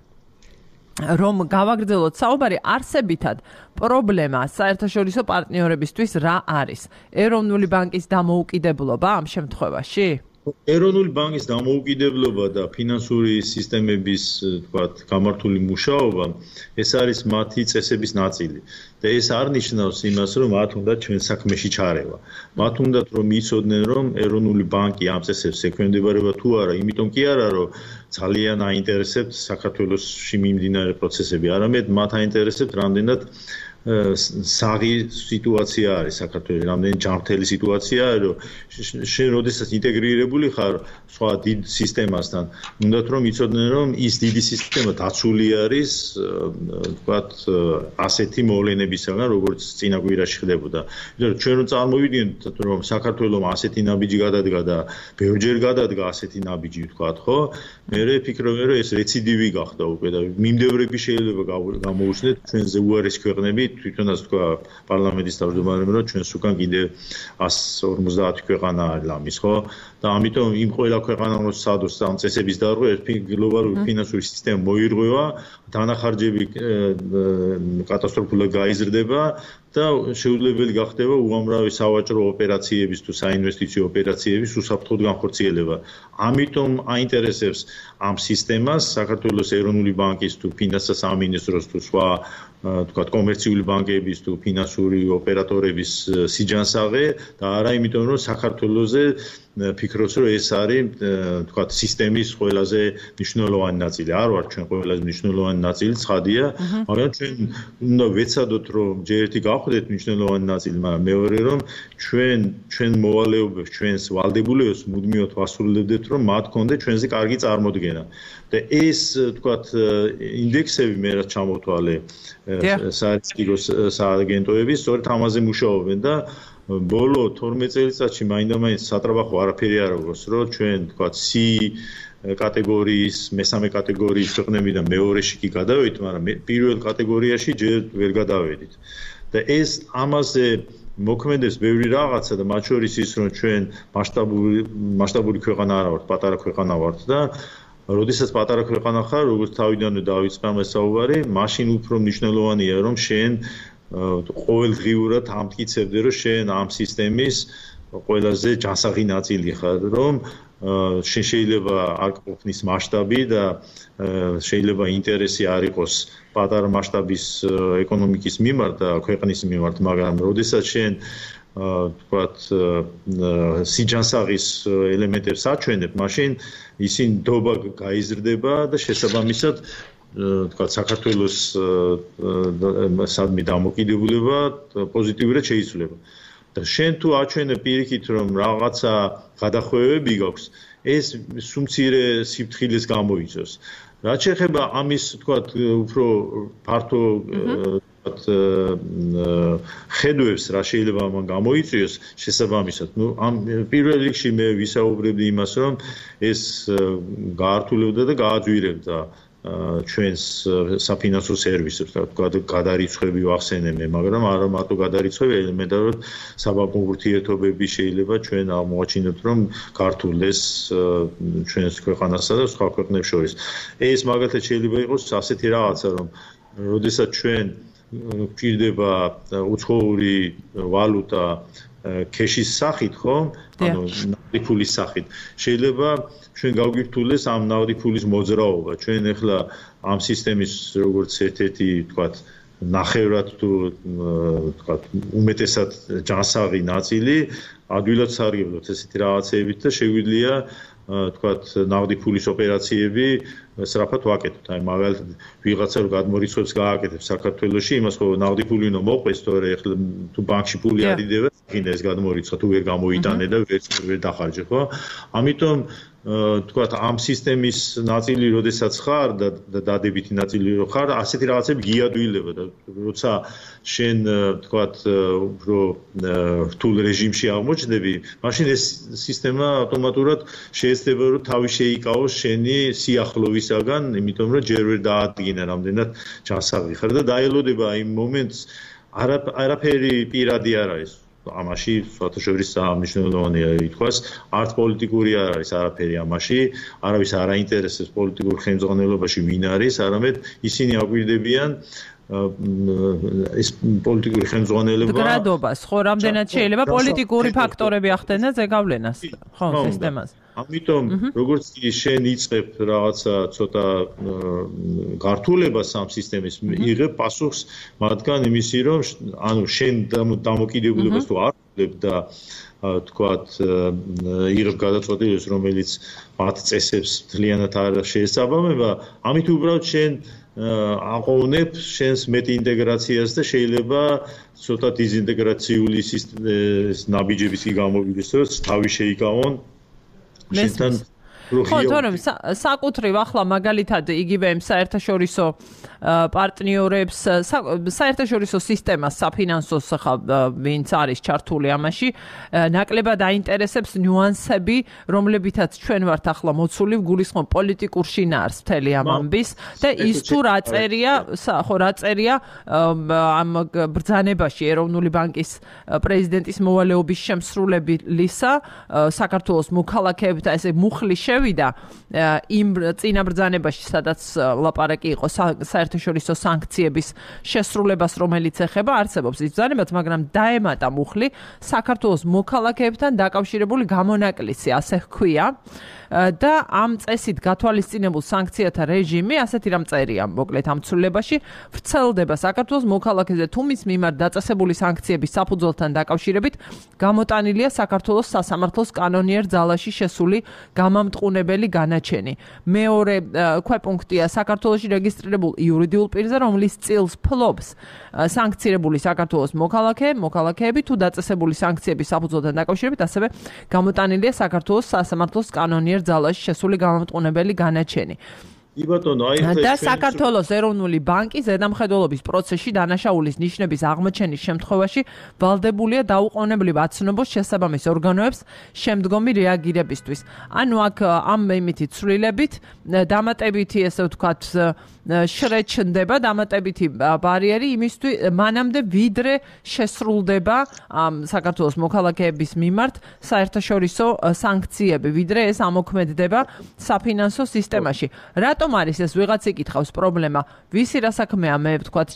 რომ გავაგრძელოთ საუბარი, არსებითად პრობლემა საერთაშორისო პარტნიორებისთვის რა არის? ეროვნული ბანკის დამოუკიდებლობა ამ შემთხვევაში? ეროვნული ბანკის დამოუკიდებლობა და ფინანსური სისტემების, თქვათ, გამართული მუშაობა, ეს არის მათი წესების ნაწილი. და ეს არ ნიშნავს იმას, რომ მათ უნდა ჩვენ საქმეში ჩარევა. მათ უნდა რომ იცოდნენ, რომ ეროვნული ბანკი ამ წესებს ექვემდებარება თუ არა, იმიტომ კი არა, რომ ძალიან აინტერესებთ საქართველოსში მიმდინარე პროცესები, არამედ მათ აინტერესებთ რამდენად საღი სიტუაცია არის საქართველოს, რამდენი ჯანმრთელი სიტუაციაა, რომ შენ როდესაც ინტეგრირებული ხარ სხვა დიდ სისტემასთან, უნდათ რომ იცოდნენ, რომ ის დიდი სისტემა დაცული არის, თქვათ, ასეთი მოვლენებისგან, როგორც წინა კვირაში ხდებოდა. იმიტომ რომ ჩვენ რომ წარმოვიდგინოთ, რომ საქართველოს ასეთი ნაბიჯი გადადგა და ბევრჯერ გადადგა ასეთი ნაბიჯი, თქვათ, ხო? მე ვფიქრობ, რომ ეს რეციდივი გახდა უკვე და მიმდევრები შეიძლება გამოუჩნდეთ ჩვენზე უარესი ქვეყნები, თვითონაც თქვა პარლამენტის თავმჯდომარემ, რომ ჩვენს უკან კიდევ 150 ქვეყანა არის ლამის, ხო? და ამიტომ იმ ყველა ქვეყანამ რომ სადოს ამ წესების დარღვევა, გლობალური ფინანსური სისტემა მოირღვევა, დანახარჯები კატასტროფულად გაიზრდება და შეუძლებელი გახდება უამრავი სავაჭრო ოპერაციების თუ საინვესტიციო ოპერაციების უსაფრთხოდ განხორციელება. ამიტომ აინტერესებს ამ სისტემას საქართველოს ეროვნული ბანკის თუ ფინანსთა სამინისტროს თუ სხვა თქვათ კომერციული ბანკების თუ ფინანსური ოპერატორების სიჯანსაღე და არა იმიტომ რომ საქართველოსზე ფიქრობს რომ ეს არის თქვათ სისტემის ყველაზე მნიშვნელოვანი ნაწილი. არ ვარ ჩვენ ყველაზე მნიშვნელოვანი ნაწილი, ცხადია, მაგრამ ჩვენ უნდა ვეცადოთ რომ ჯერ ერთი გავხდეთ მნიშვნელოვანი ნაწილი, მაგრამ მეორე რომ ჩვენ მოვალეობებს, ჩვენს ვალდებულებას მუდმივად ვასრულებდეთ რომ მათ გქონდეთ ჩვენზე კარგი წარმოდგენა. და ეს თქვათ ინდექსები მე რაც ჩამოთვალე საერთაშორისო სააგენტოები სწორედ ამაზე მუშაობენ და ბოლო 12 წელიწადში მაინდა-მაინც სატრაბახო არაფერი არ აქვს, რომ ჩვენ თქვათ C კატეგორიის, მესამე კატეგორიის ქვეყნებიდან მეორეში კი გადავედით, მაგრამ პირველ კატეგორიაში ჯერ ვერ გადავედით. და ეს ამაზე მოქმედებს ბევრი რაღაცა და მათ შორის ის რომ ჩვენ მასშტაბური ქვეყანა არ ვართ, პატარა ქვეყანა ვართ და როდესაც პატარა ქვეყანა ხარ, როგორც თავიდანვე დავიწყე ამ საუბარი, მაშინ უფრო მნიშვნელოვანია რომ შენ ყოველდღიურად ამტკიცებდე რომ შენ ამ სისტემის ყველაზე ჯანსაღი ნაწილი ხარ, რომ შენ შეიძლება არ ყოფნის მასშტაბი და შეიძლება ინტერესი არ იყოს პატარა მასშტაბის ეკონომიკის მიმართ და ქვეყნის მიმართ, მაგრამ როდესაც შენ ვთქვათ სიჯანსაღის ელემენტებს აჩვენებ, მაშინ ისინი დობა გაიზრდება და შესაბამისად ვთქვათ საქართველოს სადმე დამოკიდებულება პოზიტიურად შეიცვლება. და შენ თუ აჩვენებ პირიქით რომ რაღაცა გადახვევები გაქვს, ეს სუმცირე სიფრთხილეს გამოიწვევს. რაც შეეხება ამის ვთქვათ უფრო ფართო ხედვებს რა შეიძლება ამან გამოიწვიოს შესაბამისად. ამ პირველ რიგში მე ვისაუბრებდი იმას, რომ ეს გაართულებდა და გააძვირებდა ჩვენს საფინანსო სერვისებს, გადარიცხვები ვახსენე მე, მაგრამ არა მარტო გადარიცხვები, ელემენტარულად საბანკო ურთიერთობები შეიძლება ჩვენ აღმოაჩინოთ, რომ გართულდეს ჩვენს ქვეყანასა და სხვა ქვეყნებს შორის. ეს მაგალითად შეიძლება იყოს ასეთი რაღაცა, რომ როდესაც ჩვენ გვჭირდება უცხოური ვალუტა ქეშის სახით, ხო? ანუ ნავთი ფულის სახით. შეიძლება ჩვენ გავგიფთულდეს ამ ნავთი ფულის მოძრაობა. ჩვენ ახლა ამ სისტემის როგორც ერთ-ერთი, ვთქვათ, ნახევრად თუ ვთქვათ, უმეტესად ჯანსაღი ნაწილი ადვილად სარგებლობთ ესეთი რაღაცეებით და შეგვიძლია ვთქვათ, ნავთი ფულის ოპერაციები სწრაფად ვაკეთოთ. აი მაგალითად ვიღაცა რო გადმორიცხვებს გააკეთებს საქართველოში, იმას ხო ნავთი ფული უნდა მოყვეს, თორე ახლა თუ ბანკში ფული ადიდება, გინდა ეს გადმორიცხვა თუ ვერ გამოიტანე და ვერ დახარჯე, ხო? ამიტომ ვთქვათ, ამ სისტემის ნაწილი როდესაც ხარ და დადებითი ნაწილი რო ხარ, ასეთი რაღაცები გიადვილება და როცა შენ ვთქვათ, უფრო რთულ რეჟიმში აღმოჩნდები, მაშინ ეს სისტემა ავტომატურად შეეცდება რომ თავი შეიკავოს შენი სიახლოვისაგან, იმიტომ რომ ჯერ ვერ დაადგინე რამდენად ჯანსაღი ხარ და დაელოდება იმ მომენტს, არაფერი პირადი არ არის. ამაში საერთაშორისო მნიშვნელოვანია ითქვას, არც პოლიტიკური არ არის არაფერი ამაში, არავის არ აინტერესებს პოლიტიკურ ხელმძღვანელობაში ვინ არის, არამედ ისინი აგვირდებიან ეს პოლიტიკური ხელმძღვანელობა გრადობას, ხო, რამდენად შეიძლება პოლიტიკური ფაქტორები ახდენა ზეგავლენას, ხო, სისტემას. ამიტომ როგორც შენ იწყებ რაღაცა ცოტა გართულებას ამ სისტემის, იღებ პასუხს მათგან იმისი, რომ ანუ შენ დამოკიდებულებას თუ არ ვიღებ და ვთქვათ, იღებ გადაწყვეტილებას, რომელიც მათ წესებს მთლიანად არ შეესაბამება, ამით უბრალოდ შენ აყოვნებ შენს მეტ ინტეგრაციას და შეიძლება ცოტა დიზინტეგრაციული ნაბიჯების კი გამოვიდეს, რომ თავი შეიკავონ შენთან ხო, თორემ საკუთრივ ახლა მაგალითად იგივე იმ საერთაშორისო პარტნიორებს, საერთაშორისო სისტემას, საფინანსოს ხა ვინც არის ჩართული ამაში, ნაკლებად აინტერესებს ნიუანსები, რომლებითაც ჩვენ ვართ ახლა მოცული ვგულისხმობ პოლიტიკურ შინაარს მთელი ამ ამბის და ის თუ რა წერია ამ ბრძანებაში ეროვნული ბანკის პრეზიდენტის მოვალეობის შემსრულებლისა საქართველოს მოქალაქეებთან ესე მუხლი შევიდა იმ წინა ბრძანებაში, სადაც ლაპარაკი იყო საერთაშორისო სანქციების შესრულებას, რომელიც ეხება, არსებობს ის ბრძანებაც, მაგრამ დაემატა მუხლი საქართველოს მოქალაქეებთან დაკავშირებული გამონაკლისი, ასე ჰქვია. და ამ წესით გათვალისწინებულ სანქციათა რეჟიმი, ასეთი რამ წერია, მოკლედ ამ ცვლილებაში, ვრცელდება საქართველოს მოქალაქეზე თუ მის მიმართ დაწესებული სანქციების საფუძველთან დაკავშირებით გამოტანილია საქართველოს სასამართლოს კანონიერ ძალაში შესული გამამტყუნებელი განაჩენი. მეორე ქვეპუნქტია საქართველოში რეგისტრირებულ იურიდიულ პირზე, რომლის წილს ფლობს სანქცირებული საქართველოს მოქალაქეები თუ დაწესებული სანქციების საფუძველთან დაკავშირებით, ასევე გამოტანილია საქართველოს სასამართლოს კანონიერ ძალაში შესული გამამტყუნებელი განაჩენი. და საქართველოს ეროვნული ბანკი ზედამხედველობის პროცესში დანაშაულის ნიშნების აღმოჩენის შემთხვევაში ვალდებულია დაუყოვნებლივ აცნობს შესაბამის ორგანოებს შემდგომი რეაგირებისთვის. ანუ აქ ამ იმითი ცვლილებით დამატებითი, ესე ვთქვათ, შრეჩნდება დამატებითი ბარიერი იმისთვის მანამდე ვიდრე შესრულდება საქართველოს მოქალაქეების მიმართ საერთაშორისო სანქციები, ვიდრე ეს ამოქმედდება საფინანსო სისტემაში. რატომ არის ეს ვიღაც იკითხავს პრობლემა? ვისი რა საქმეა მე ვთქვათ,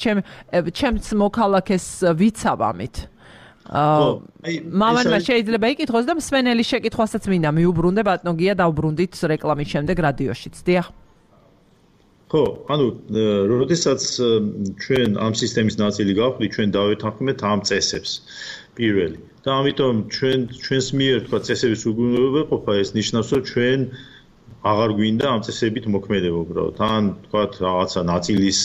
ჩემს მოქალაქეს ვიცავ ამით. მამანმა შეიძლება იკითხოს და მსმენელი შეკითხვასაც მინდა მიუბრუნდე ბატონო გია დავბრუნდით რეკლამის შემდეგ რადიოშიც. დიახ. ხო, ანუ როდესაც ჩვენ ამ სისტემის ნაწილი გავხდით, ჩვენ დავეთანხმეთ ამ წესებს პირველი. და ამიტომ ჩვენს მიერ თქვა წესების უგუნურობა ყოფა ეს ნიშნავს, რომ ჩვენ აღარ გვინდა ამ წესებით მოქმედება უბრალოდ. ან თქვა რაღაცა ნაწილის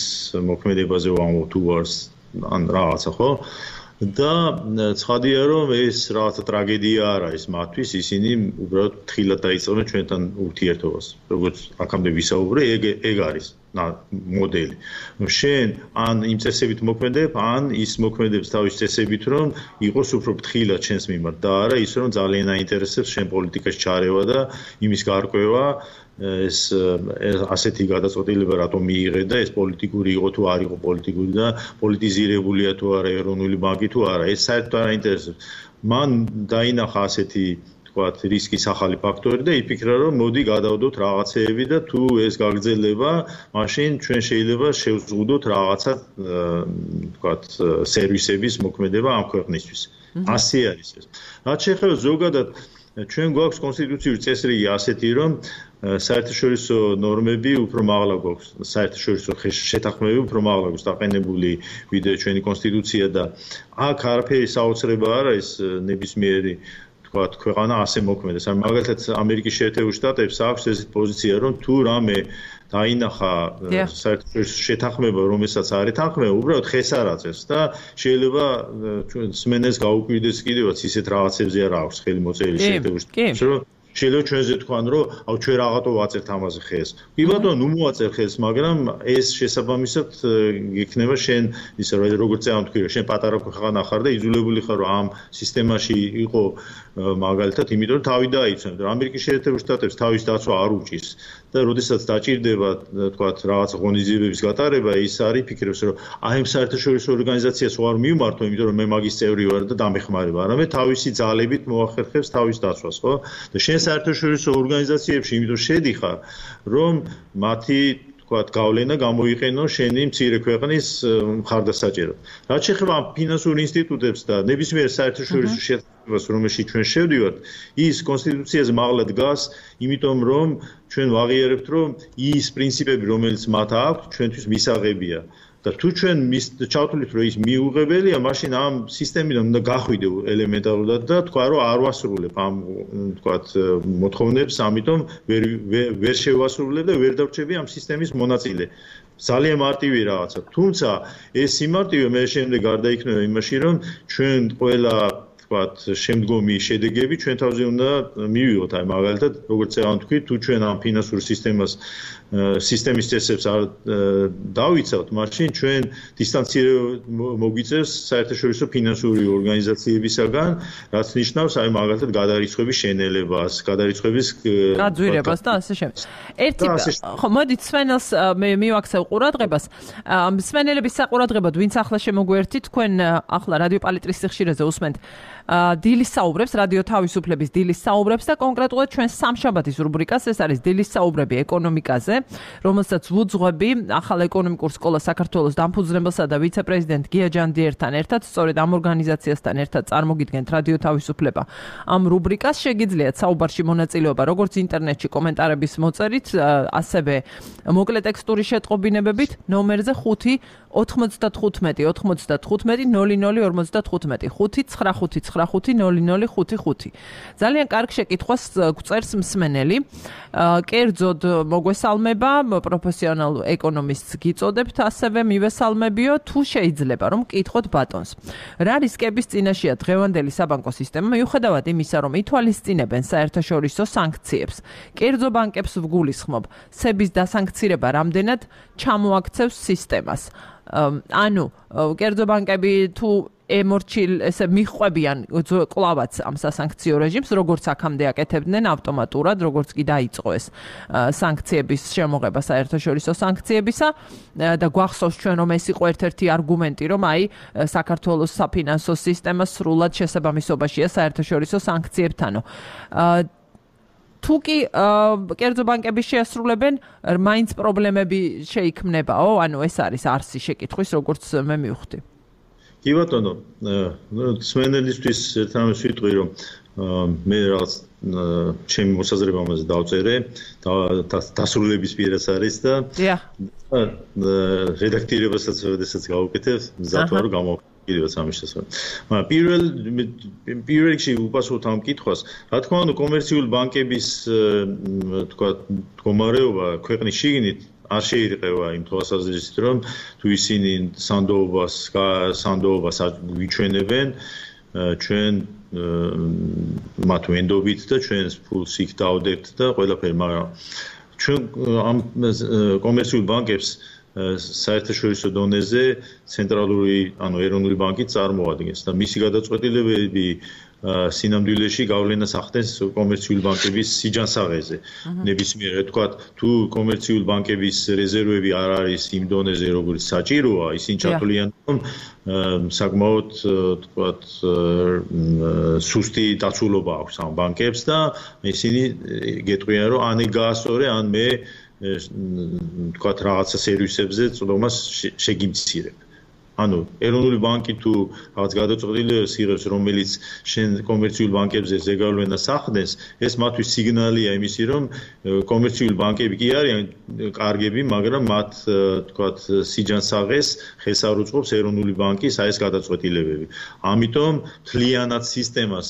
მოქმედებაზე ვამბობ თუ არს ან რაღაცა, ხო? და ცხადია რომ ეს რაღაცა ტრაგედია არ არის მათთვის, ისინი უბრალოდ თხილად დაიწყებენ ჩვენთან ურთიერთობას. როგორც აქამდე ვისაუბრე, ეგ არის მოდელი. შენ ან იმ წესებით მოქმედებ, ან ის მოქმედებს თავის წესებით, რომ იყოს უფრო ფრთხილად ჩვენს მიმართ და არა ის რომ ძალიან აინტერესებს შენ პოლიტიკაში ჩარევა და იმის გარკვევა ეს ასეთი გადაწყვეტილება რატომ მიიღე და ეს პოლიტიკური იყო თუ არ იყო პოლიტიკური და პოლიტიზირებულია თუ არა ეროვნული ბანკი თუ არა, ეს საერთოდ არ აინტერესებს. მან დაინახა ასეთი ვთქვათ რისკის ახალი ფაქტორი და იფიქრა რომ მოდი გადავდოთ რაღაცეები და თუ ეს გაგრძელება, მაშინ ჩვენ შეიძლება შევზღუდოთ რაღაცა ვთქვათ სერვისების მოქმედება ამ ქვეყნისთვის. ასე არის ეს. რაც შეეხება ზოგადად ჩვენ გვაქვს კონსტიტუციური წესრიგი ასეთი რომ საერთაშორისო ნორმები უფრო მაღლა გვაქვს, საერთაშორისო შეთანხმებები უფრო მაღლა გვაქვს დაყენებული ვიდრე ჩვენი კონსტიტუცია და აქ არაფერი საოცრება არ არის ნებისმიერი თქვათ ქვეყანა ასე მოქმედებს. ან მაგალითად ამერიკის შეერთებულ შტატებს აქვს ეს პოზიცია რომ თუ რამე დაინახა საერთაშორისო შეთანხმება რომელსაც არ ეთანხმება, უბრალოდ ხეს არ აწევს და შეიძლება ჩვენ სმენელს გაუკვირდეს კიდევაც ისეთ რაღაცებზე არ აქვს ხელი მოწერილი შეერთებულ შტატებში, რომ შეიძლება ჩვენზე თქვან რომ აუ ჩვენ რაღაცო ვაწერთ ამაზე ხეს. კი ბატონო, ნუ მოაწერ ხეს, მაგრამ ეს შესაბამისად იქნება შენ ისე როგორც წამო თქვი რომ შენ პატარა ქვეყანა ხარ და იძულებული ხარ რომ ამ სისტემაში იყო მაგალითად, იმიტომ რომ თავი დაიცვენ. ამერიკის შეერთებულ შტატებს თავის დაცვა არ უჭირს და როდესაც დაჭირდება თქვათ რაღაც ღონისძიებების გატარება, ის არის ფიქრებს რომ აი ამ საერთაშორისო ორგანიზაციას ვარ მივმართო, იმიტომ რომ მე მაგის წევრი ვარ და დამეხმარება. არამედ თავისი ძალებით მოახერხებს თავის დაცვას, ხო? და შენ საერთაშორისო ორგანიზაციებში იმიტომ შედიხარ, რომ მათი თქვათ გავლენა გამოიყენო შენი მცირე ქვეყნის მხარდასაჭერად. რაც შეეხება ამ ფინანსურ ინსტიტუტებს და ნებისმიერ საერთაშორისო შეთანხმებას, რომელშიც ჩვენ შევდივართ, ის კონსტიტუციაზე მაღლა დგას, იმიტომ რომ ჩვენ ვაღიარებთ, რომ ის პრინციპები, რომელიც მათ აქვთ, ჩვენთვის მისაღებია. და თუ ჩვენ ჩავთვლით რომ ის მიუღებელია, მაშინ ამ სისტემიდან უნდა გახვიდე ელემენტარულად და თქვა რომ არ ვასრულებ ამ თქვათ მოთხოვნებს, ამიტომ ვერ შევასრულებ და ვერ დავრჩები ამ სისტემის მონაწილე. ძალიან მარტივი რაღაცა. თუმცა ეს სიმარტივე მე შემდეგ გარდაიქმნება იმაში, რომ ჩვენ ყველა თქვათ შემდგომი შედეგები ჩვენ თავზე უნდა მივიღოთ. აი მაგალითად, როგორც წავ თქვი, თუ ჩვენ ამ ფინანსურ სისტემის წესებს არ დავიცავთ, მაშინ ჩვენ დისტანცირება მოგვიწევს საერთაშორისო ფინანსური ორგანიზაციებისაგან, რაც ნიშნავს აი მაგალითად გადარიცხვების შენელებას, გადარიცხვების გაძვირებას და ასე შემდეგ. ერთი ხო, მოდით სვენელს მე მივაქცევ ყურადღებას. სვენელების საყურადღებოდ, ვინც ახლა შემოგვერთით, თქვენ ახლა რადიო პალიტრის სიხშირეზე უსმენთ დილის საუბრებს, რადიო თავისუფლების დილის საუბრებს და კონკრეტულად ჩვენ სამშაბათის რუბრიკას, ეს არის დილის საუბრები ეკონომიკაზე, რომელსაც ვუძღვები ახალ ეკონომიკურ სკოლას საქართველოს დამფუძნებელსა და ვიცე-პრეზიდენტ გია ჯანდიერთან ერთად, სწორედ ამ ორგანიზაციასთან ერთად წარმოგიდგენთ რადიო თავისუფლება. ამ რუბრიკას შეგიძლიათ საუბარში მონაწილეობა როგორც ინტერნეტში კომენტარების მოწერით, ასევე მოკლე ტექსტური შეტყობინებებით ნომერზე 5 95 95 00 55 595 ძალიან კარგ შეკითხვას გვწერს მსმენელი. კერძოდ მოგვესალმება, პროფესიონალ ეკონომისტს გიწოდებთ, ასევე მივესალმებიო, თუ შეიძლება რომ გკითხოთ ბატონს. რა რისკების წინაშეა დღევანდელი საბანკო სისტემა, მიუხედავად იმისა, რომ ითვალისწინებენ საერთაშორისო სანქციებს. კერძო ბანკებს ვგულისხმობ, სების დასანქცირება რამდენად ჩამოაქცევს სისტემას. ანუ კერძო ბანკები თუ ესე მიხვებიან კლავაც ამ სასანქციო რეჟიმს, როგორც აქამდე აკეთებდნენ ავტომატურად, როგორც კი დაიწყო ეს სანქციების შემოღება საერთაშორისო სანქციებისა და გვახსოვს ჩვენ რომ ეს იყო ერთ-ერთი არგუმენტი, რომ აი საქართველოს საფინანსო სისტემა სრულად შესაბამისობაშია საერთაშორისო სანქციებთანო. თუ კი კერძო ბანკები შეასრულებენ, მაინც პრობლემები შეიქმნებაო, ანუ ეს არის არსი შეკითხვის, როგორც მე მივხვდი. კი ბატონო, სვენელისთვის ერთამეს ვიტყვი, რომ მე რაღაც ჩემი მოსაზრება ამაზე დავწერე, დასრულების პირას არის და რედაქტირებასაც როდესაც გავუკეთებ, მზად ვარ გამოვხდი. კიდევაც ამის შესახებ. პირველ რიგში უპასუხოთ ამ კითხვას. რა თქმა უნდა, კომერციული ბანკების თქვა მდგომარეობა ქვეყნის შიგნით არ შეირყევა იმ თვალსაზრისით, რომ თუ ისინი სანდოობას გვიჩვენებენ, ჩვენ მათ ვენდობით და ჩვენს ფულს იქ დავდებთ და ყველაფერი, მაგრამ ჩვენ ამ კომერციულ ბანკებს საერთაშორისო დონეზე ცენტრალური, ანუ ეროვნული ბანკი წარმოადგენს და მისი გადაწყვეტილებები სინამდვილეში გავლენას ახდენს კომერციული ბანკების სიჯანსაღეზე. ნებისმიერ, თქვათ, თუ კომერციული ბანკების რეზერვები არ არის იმ დონეზე, როგორც საჭიროა, ისინი ჩათვლიან, რომ საკმაოდ, თქვათ, სუსტი დაცულობა აქვს ამ ბანკებს და ისინი გეტყვიან, რომ ან გაასწორე, ან მე თქვათ რაღაცა სერვისებზე წოდომას შეგიმცირებ. ანუ ეროვნული ბანკი თუ რაღაც გადაწყვეტილებას იღებს, რომელიც შენ კომერციულ ბანკებზე ზეგავლენას ახდენს, ეს მათთვის სიგნალია იმისი, რომ კომერციული ბანკები კი არიან კარგები, მაგრამ მათ თქვათ სიჯანსაღეს ხელს არ უწყობს ეროვნული ბანკის აი ეს გადაწყვეტილებები. ამიტომ მთლიანად სისტემას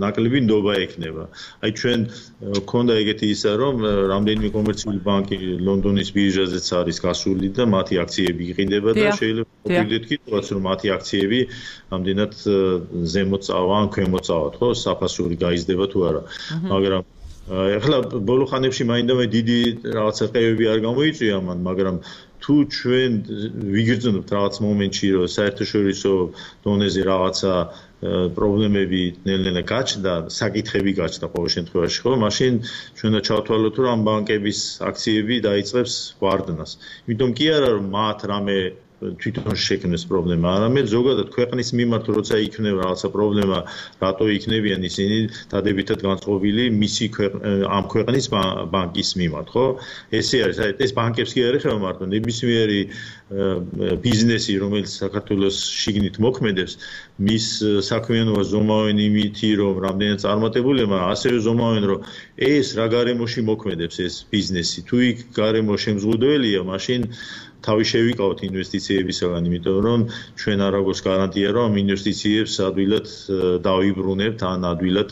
ნაკლები ნდობა ექნება. აი ჩვენ გქონდა ეგეთი ისა, რომ რამდენიმე კომერციული ბანკი ლონდონის ბირჟაზეც არის გასული და მათი აქციები იყიდება და შეიძლება მოვიდეთ კითხავს, რომ მათი აქციები ამდენად ზემოთ წავა ან ქვემოთ წავათ, ხო, საფასური გაიზრდება თუ არა. მაგრამ ეხლა ბოლო ხანებში მაინდამაინც დიდი რაღაცა ყევები არ გამოიწვია მან, მაგრამ თუ ჩვენ ვიგრძნობთ რაღაც მომენტში, რომ საერთაშორისო დონეზე რაღაცა პრობლემები ნელ-ნელა გაჩნდა, საკითხები გაჩნდა ყოველ შემთხვევაში, ხო, მაშინ ჩვენ და ჩავთვალოთ, რომ ამ ბანკების აქციები დაიწყებს ვარდნას. იმიტომ კი არა, რომ მათ რამე თვითონ შექმნეს პრობლემა, არამედ ზოგადად ქვეყნის მიმართ როცა იქნება რაღაცა პრობლემა, რატო იქნებიან ისინი დადებითად განწყობილი მისი ამ ქვეყნის ბანკის მიმართ, ხო? ესე არის, ეს ბანკებს კი არ ეხება მარტო, ნებისმიერი ბიზნესი, რომელიც საქართველოს შიგნით მოქმედებს, მის საქმიანობა ზომავენ იმითი, რომ რამდენად წარმატებულია, მაგრამ ასევე ზომავენ, რომ ეს რა გარემოში მოქმედებს ეს ბიზნესი. თუ იქ გარემო შემზღუდველია, მაშინ თავი შევიკავოთ ინვესტიციებისგან, იმიტომ რომ ჩვენ არ აქვს გარანტია, რომ ამ ინვესტიციებს ადვილად დავიბრუნებთ, ან ადვილად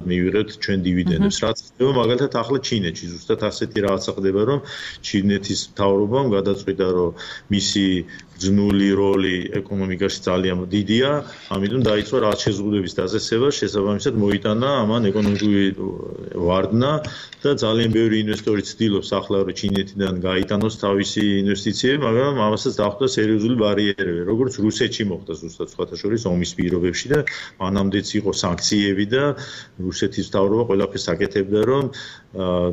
მივიღებთ ჩვენ დივიდენდებს. რაც ხდება მაგალითად ახლა ჩინეთში, ზუსტად ასეთი რაღაცა ხდება, რომ ჩინეთის მთავრობამ გადაწყვიტა, რომ მისი ძნული როლი ეკონომიკაში ძალიან დიდია, ამიტომ დაიწყო რაღაც შეზღუდვების დაწესება, შესაბამისად მოიტანა ამან ეკონომიკური ვარდნა და ძალიან ბევრი ინვესტორი ცდილობს ახლა რომ ჩინეთიდან გაიტანოს თავისი ინვესტიციები, მაგრამ ამასაც დახვდა სერიოზული ბარიერები, როგორც რუსეთში მოხდა ზუსტად სხვათა შორის ომის პირობებში და მანამდეც იყო სანქციები და რუსეთის მთავრობა ყველაფერს აკეთებდა, რომ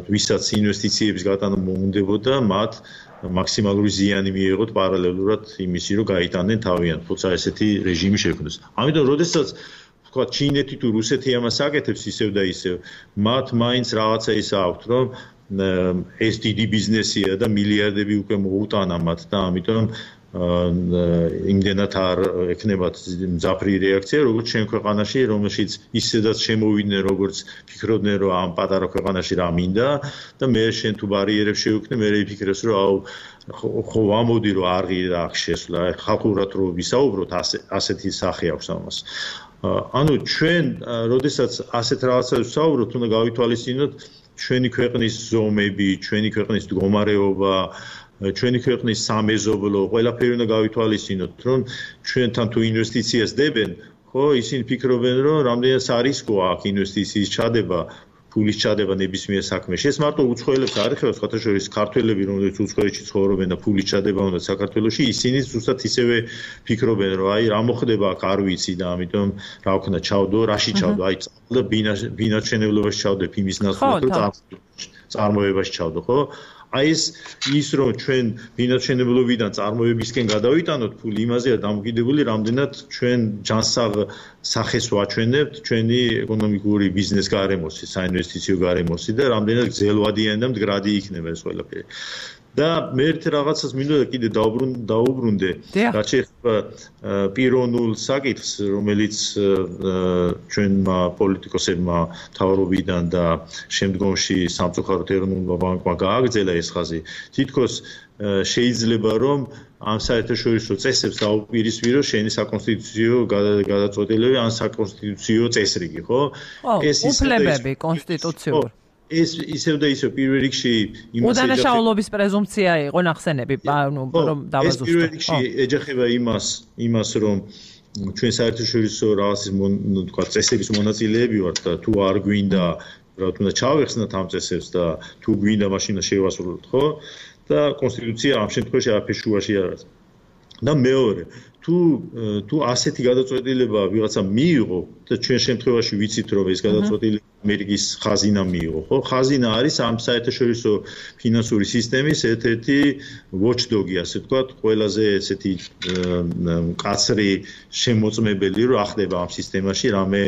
ვისაც ინვესტიციების გატანა მოუნდებოდა, მათ მაქსიმალური ზიანი მიიღოთ პარალელურად იმისი, რომ გაიტანენ თავიანთ, თუმცა ესეთი რეჟიმი შექმნეს. ამიტომ, როდესაც თქვა ჩინეთი თუ რუსეთი ამას აკეთებს ისევ და ისევ, მათ მაინც რაღაცა ის აქვთ, რომ ეს დიდი ბიზნესია და მილიარდები უკვე მოუტანა მათ და ამიტომ იმდენად არ ექნებათ მძაფრი რეაქცია, როგორც ჩვენ ქვეყანაში, რომელშიც ისედაც შემოვიდნენ, როგორც ფიქრობდნენ, რომ ამ პატარა ქვეყანაში რა მინდა და მე შენ თუ ბარიერებს შევქმნე, მე ვიფიქრებს, რომ აუ ხო ამოდი რომ არ ღირა აქ შესვლა, ხალხურად რო ვისაუბროთ, ასეთი სახე აქვს ამას. ანუ ჩვენ, როდესაც ასეთ რაღაცას ვსაუბრობთ, უნდა გავითვალისწინოთ ჩვენი ქვეყნის ზომები, ჩვენი ქვეყნის მდგომარეობა, ჩვენი ქვეყნის სამეზობლო, ყველაფერი უნდა გავითვალისწინოთ, რომ ჩვენთან თუ ინვესტიციას დებენ, ხო, ისინი ფიქრობენ, რომ რამდენად რისკოა აქ ინვესტიციის ჩადება, ფულის ჩადება ნებისმიერ საქმეში. ეს მარტო უცხოელებს არ ეხება, სხვათა შორის ქართველები, რომლებიც უცხოეთში ცხოვრობენ და ფულის ჩადება უნდა საქართველოში, ისინი ზუსტად ისევე ფიქრობენ, რომ აი რა მოხდება აქ არ ვიცი და ამიტომ რა ვქნა ჩავდო, რაში ჩავდო, აი და ბინაჩვენებლობაში ჩავდებ იმის ნაცვლად, რომ წარმოებაში ჩავდო, ხო? აი ის რომ ჩვენ ბინაჩვენებლობიდან წარმოებისკენ გადავიტანოთ ფული, იმაზეა დამოკიდებული, რამდენად ჩვენ ჯანსაღ სახეს ვაჩვენებთ ჩვენი ეკონომიკური ბიზნეს გარემოსი, საინვესტიციო გარემოსი და რამდენად გრძელვადიანი და მდგრადი იქნება ეს ყველაფერი. და მე ერთ რაღაცას მინდოდა კიდე დაუბრუნდე, რაც შეეხება პიროვნულ საკითხს, რომელიც ჩვენმა პოლიტიკოსებმა მთავრობიდან და შემდგომში სამწუხაროდ ეროვნულმა ბანკმა გააგრძელა ეს ხაზი. თითქოს შეიძლება რომ ამ საერთაშორისო წესებს დაუპირისპიროს შენი საკონსტიტუციო გადაწყვეტილებები ან საკონსტიტუციო წესრიგი, ხო? ეს უფლებები კონსტიტუციურ ეს ისევ და ისევ პირველ რიგში უდანაშაულობის პრეზუმპცია იყო ნახსენები, რომ დავაზუსტო. ეს პირველ რიგში ეჯახება იმას, რომ ჩვენ საერთაშორისო რაღაცის თქვა წესების მონაწილეები ვართ და თუ არ გვინდა, რა თქმა უნდა, ჩავეხსნათ ამ წესებს და თუ გვინდა მაშინ შევასრულოთ, ხო? და კონსტიტუცია ამ შემთხვევაში არაფერ შუაში არ არის. და მეორე, თუ ასეთი გადაწყვეტილება ვიღაცა მიიღო და ჩვენ შემთხვევაში ვიცით რომ ეს გადაწყვეტილება ამერიკის ხაზინა მიიღო, ხო? ხაზინა არის ამ საერთაშორისო ფინანსური სისტემის ერთ-ერთი watchdog-ი, ასე ვთქვათ, ყველაზე ესეთი მკაცრი შემოწმებელი, რომ ახდება ამ სისტემაში რამე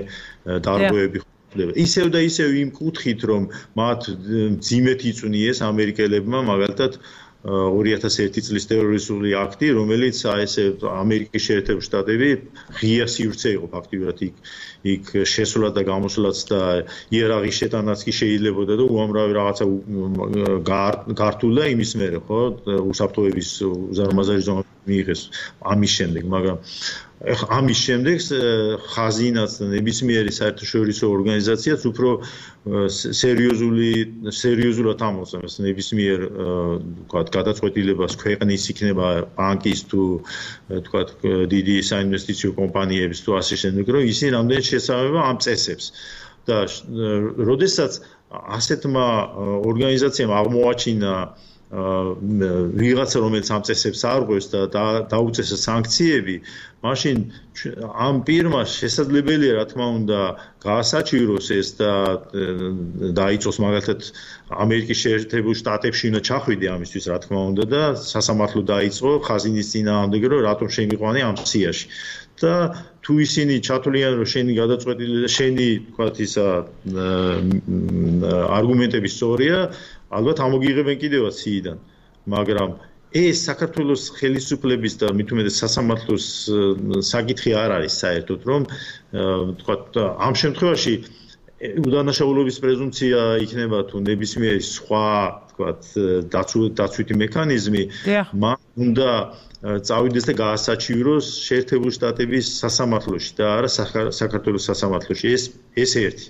დარღვევები ხდება. ისევ და ისევ იმ კუთხით, რომ მათ ძიმეთ იწვნიეს ამერიკელებმა, მაგალითად 2001 წლის ტერორისტული აქტი, რომელიც ესე ამერიკის შეერთებული შტატები ღია სივრცე იყო ფაქტიურად იქ შესვლა და გამოსვლაც და იერარქიის შეტანაც კი შეიძლებოდა და უამრავი რაღაცა გართულა იმის მერე, ხო? უსაფრთხოების უზარმაზარი ზონა მიიღეს ამის შემდეგ, მაგრამ ამის შემდეგ ხაზინაც და ნებისმიერი საერთაშორისო ორგანიზაციაც უფრო სერიოზულად ამოწმებს ნებისმიერ ვთქვათ გადაწყვეტილებას ქვეყნის იქნება ბანკის თუ ვთქვათ დიდი საინვესტიციო კომპანიების თუ ასე შემდეგ, რომ ისინი რამდენად შესაბამება ამ წესებს. და როდესაც ასეთმა ორგანიზაციამ აღმოაჩინა ვიღაცა რომელიც ამ წესებს არ ღვევს და დაუწესა სანქციები, მაშინ ამ პირმა შესაძლებელია რა თქმა უნდა გაასაჩივროს ეს და დაიწყოს მაგალითად ამერიკის შეერთებულ შტატებში უნდა ჩახვიდე ამისთვის რა თქმა უნდა და სასამართლო დაიწყო ხაზინის წინააღმდეგ რომ რატომ შემიყვანე ამ სიაში. და თუ ისინი ჩათვლიან რომ შენი გადაწყვეტილება შენი თქვათ ისა არგუმენტები სწორია, ალბათ ამოგიღებენ კიდევაც სიიდან, მაგრამ ეს საქართველოს ხელისუფლების და მით უმეტეს სასამართლოს საკითხი არ არის საერთოდ, რომ თქვათ ამ შემთხვევაში უდანაშაულობის პრეზუმპცია იქნება თუ ნებისმიერი სხვა თქვათ დაცვითი მექანიზმი, მან უნდა წავიდეს და გაასაჩივროს შეერთებული შტატების სასამართლოში და არა საქართველოს სასამართლოში. ეს ერთი.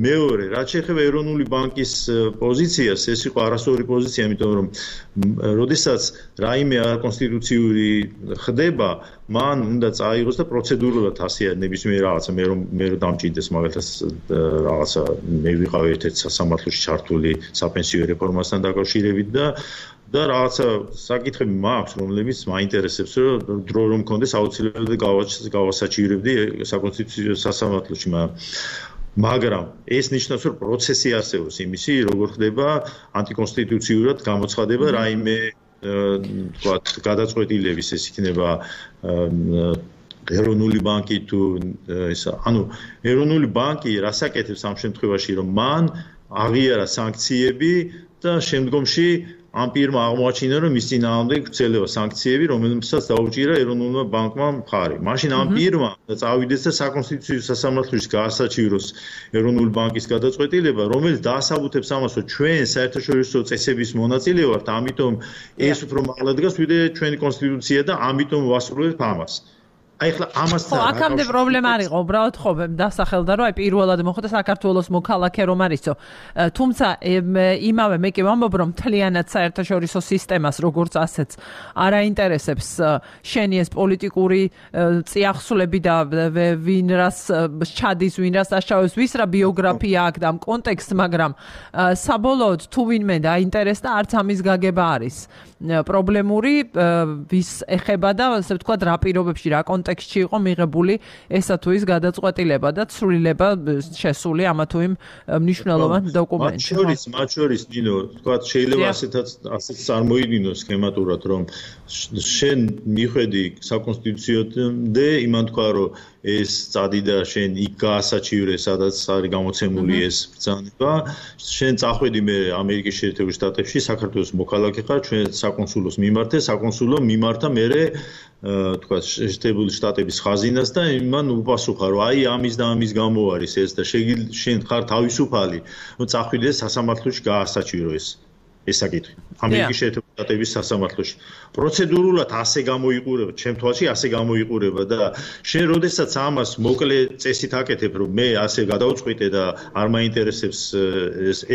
მეორე, რაც შეეხება ეროვნული ბანკის პოზიციას, ეს იყო არასწორი პოზიცია, იმიტომ რომ როდესაც რაიმე არაკონსტიტუციური ხდება, მან უნდა წაიღოს და პროცედურულად ასე ნებისმიერ რაღაცა მე რომ დამჭირდეს მაგალითად რაღაცა მე ვიყავ ერთ-ერთ სასამართლოში ჩართული საპენსიო რეფორმასთან დაკავშირებით და რაღაცა საკითხები მაქვს, რომლებიც მაინტერესებს, რომ დრო რომ მქონდეს აუცილებლად გავასაჩივრებდი საკონსტიტუციო სასამართლოში, მაგრამ ეს ნიშნავს, რომ პროცესი არსებობს იმისი, როგორ ხდება ანტიკონსტიტუციურად გამოცხადება რაიმე თქვათ გადაწყვეტილების, ეს იქნება ეროვნული ბანკი თუ ისა, ანუ ეროვნული ბანკი რასაკეთებს ამ შემთხვევაში, რომ მან აღიარა სანქციები და შემდგომში ამ პირმა აღმოაჩინა, რომ მის წინააღმდეგ გრძელდება სანქციები, რომელსაც დაუჭირა ეროვნულმა ბანკმა მხარი. მაშინ ამ პირმა წავიდეს და საკონსტიტუციო სასამართლოში გაასაჩივროს ეროვნული ბანკის გადაწყვეტილება, რომელიც დაასაბუთებს ამას, რომ ჩვენ საერთაშორისო წესების მონაწილე ვართ, ამიტომ ეს უფრო მაღლა დგას, ვიდრე ჩვენი კონსტიტუცია და ამიტომ ვასრულებთ ამას. აი ხლა ამასთან აქამდე პრობლემა არ იყო, უბრალოდ ხო დასახელდა, რომ აი პირველად მოხდა საქართველოს მოქალაქე რომ არისო. თუმცა იმავე მე კი ვამბობ, რომ მთლიანად საერთაშორისო სისტემას როგორც ასეც არ აინტერესებს შენი ეს პოლიტიკური წიაღსვლები და ვინ რას ჩადის, ვინ რას აშავებს, ვის რა ბიოგრაფია აქვს და ამ კონტექსტ, მაგრამ საბოლოოდ თუ ვინმე დაინტერესდა, არც ამის გაგება არის პრობლემური, ვის ეხება და ასე ვთქვათ, რა პირობებში, რა კონტექსტში იყო მიღებული ესა თუ ის გადაწყვეტილება და ცვლილება შესული ამა თუ იმ მნიშვნელოვან დოკუმენტში. მათ შორის ნინო, ვთქვათ, შეიძლება ასეც წარმოიდგინოს სქემატურად, რომ შენ მიხვედი საკონსტიტუციამდე, იმან თქვა, რომ ეს წადი და შენ იქ გაასაჩივრე, სადაც არის გამოცემული ეს ბრძანება, შენ წახვედი მე ამერიკის შეერთებულ შტატებში, საქართველოს მოქალაქე ხარ, ჩვენ საკონსულოს მიმართე, საკონსულო მიმართა მერე თქვათ შეერთებული შტატების ხაზინას და იმან უპასუხა, რომ აი ამის და ამის გამო არის ეს და შენ ხარ თავისუფალი, რომ წახვიდე სასამართლოში გაასაჩირო ეს საკითხი. ამერიკის შეერთებული შტატების სასამართლოში. პროცედურულად ასე გამოიყურება, ჩემ თვალში ასე გამოიყურება და შენ როდესაც ამას მოკლე წესით აკეთებ, რომ მე ასე გადავწყვიტე და არ მაინტერესებს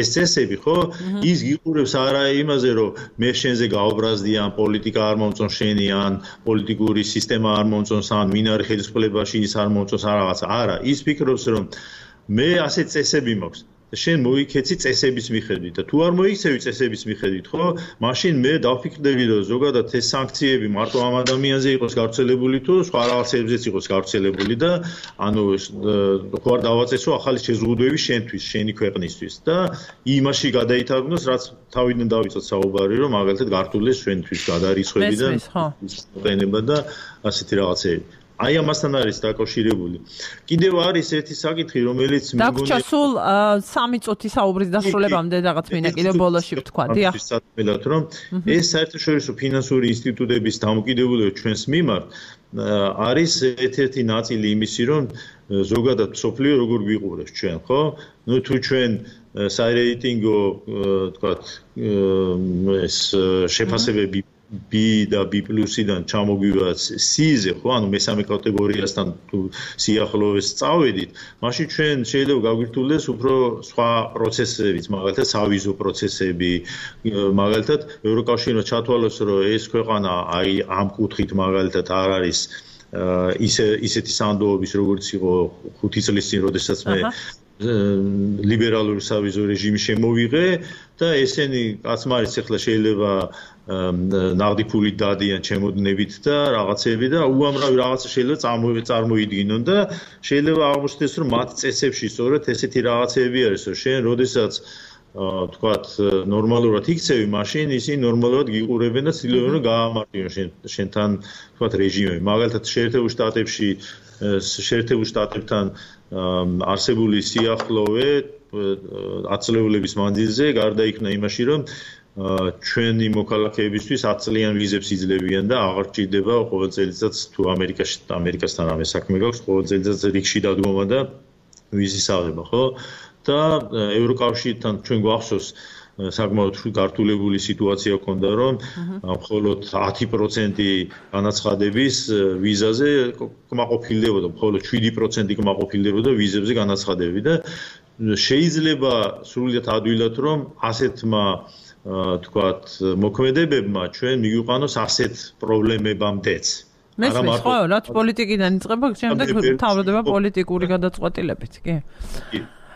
ეს წესები, ხო? ის გიყურებს არა იმაზე, რომ მე შენზე გაობრაზდი ან პოლიტიკა არ მომწონს შენი ან პოლიტიკური სისტემა არ მომწონს ან ვინ არის ხელისუფლებაში ის არ მომწონს ან რაღაცა. არა, ის ფიქრობს, რომ მე ასე წესები მაქვს. შენ მოიქეცი წესების მიხედვით და თუ არ მოიქცევი წესების მიხედვით, ხო? მაშინ მე დავფიქრდები, რომ ზოგადად ეს სანქციები მარტო ამ ადამიანზე იყოს გავრცელებული თუ სხვა რაღაცებზეც იყოს გავრცელებული და ანუ ხო არ დავაწესო ახალი შეზღუდვები შენთვის, შენი ქვეყნისთვის და იმაში გადაითარგმნოს, რაც თავიდან დავიწყოთ საუბარი, რომ მაგალითად გართულდეს ჩვენთვის გადარიცხვები და ყენება და ასეთი რაღაცები. აი ამასთან არის დაკავშირებული. კიდევ არის ერთი საკითხი, რომელიც დაგვრჩა სულ 3 წუთი საუბრის დასრულებამდე რაღაც მინდა კიდევ ბოლოში ვთქვა. დიახ. რომ ეს საერთაშორისო ფინანსური ინსტიტუტების დამოკიდებულება ჩვენს მიმართ არის ერთ-ერთი ნაწილი იმისი, რომ ზოგადად სოფლიო როგორ გვიყურებს ჩვენ, ხო? ნუ თუ ჩვენ სარეიტინგო, თქვათ, ეს შეფასებები B და B+-დან ჩამოგვივა C-ზე, ხო, ანუ მესამე კატეგორიასთან თუ სიახლოვეს წავედით, მაშინ ჩვენ შეიძლება გაგვირთულდეს უფრო სხვა პროცესებიც, მაგალითად სავიზო პროცესები, მაგალითად ევროკავშირმა ჩათვალოს, რომ ეს ქვეყანა აი ამ კუთხით მაგალითად არ არის ისეთი სანდოობის, როგორც იყო 5 წლის წინ, როდესაც მე ლიბერალური სავიზო რეჟიმი შემოვიღე და ესენი კაცმარიც ახლა შეიძლება ნაღდი ფულით დადიან ჩემოდნებით და რაღაცები და უამრავი რაღაცა შეიძლება წარმოიდგინონ და შეიძლება აღმოჩნდეს, რომ მათ წესებში სწორედ ესეთი რაღაცები არის, რომ შენ როდესაც თქვათ ნორმალურად იქცევი, მაშინ ისინი ნორმალურად გიყურებენ და ცდილობენ რომ გაამარტივონ შენთან თქვათ რეჟიმები. მაგალითად შეერთებულ შტატებთან არსებული სიახლოვე ათწლეულების მანძილზე გარდა იქნა იმაში, რომ ჩვენი მოქალაქეებისთვის 10 წლიან ვიზებს იძლევიან და აღარ ჭირდება ყოველ წელიწად თუ ამერიკასთან რამე საქმე გაქვს, ყოველ წელიწად რიგში დადგომა და ვიზის აღება, ხო? და ევროკავშირთან ჩვენ გვახსოვს საკმაოდ გართულებული სიტუაცია ჰქონდა, რომ მხოლოდ 10% განაცხადების ვიზაზე კმაყოფილდებოდა, მხოლოდ 7% კმაყოფილდებოდა ვიზებზე განაცხადები და შეიძლება სრულიად ადვილად, რომ ასეთმა თქვათ მოქმედებებმა ჩვენ მიგვიყვანოს ასეთ პრობლემებამდეც. მესმის ხო, რაც პოლიტიკიდან იწყება, შემდეგ თავრდება პოლიტიკური გადაწყვეტილებით, კი?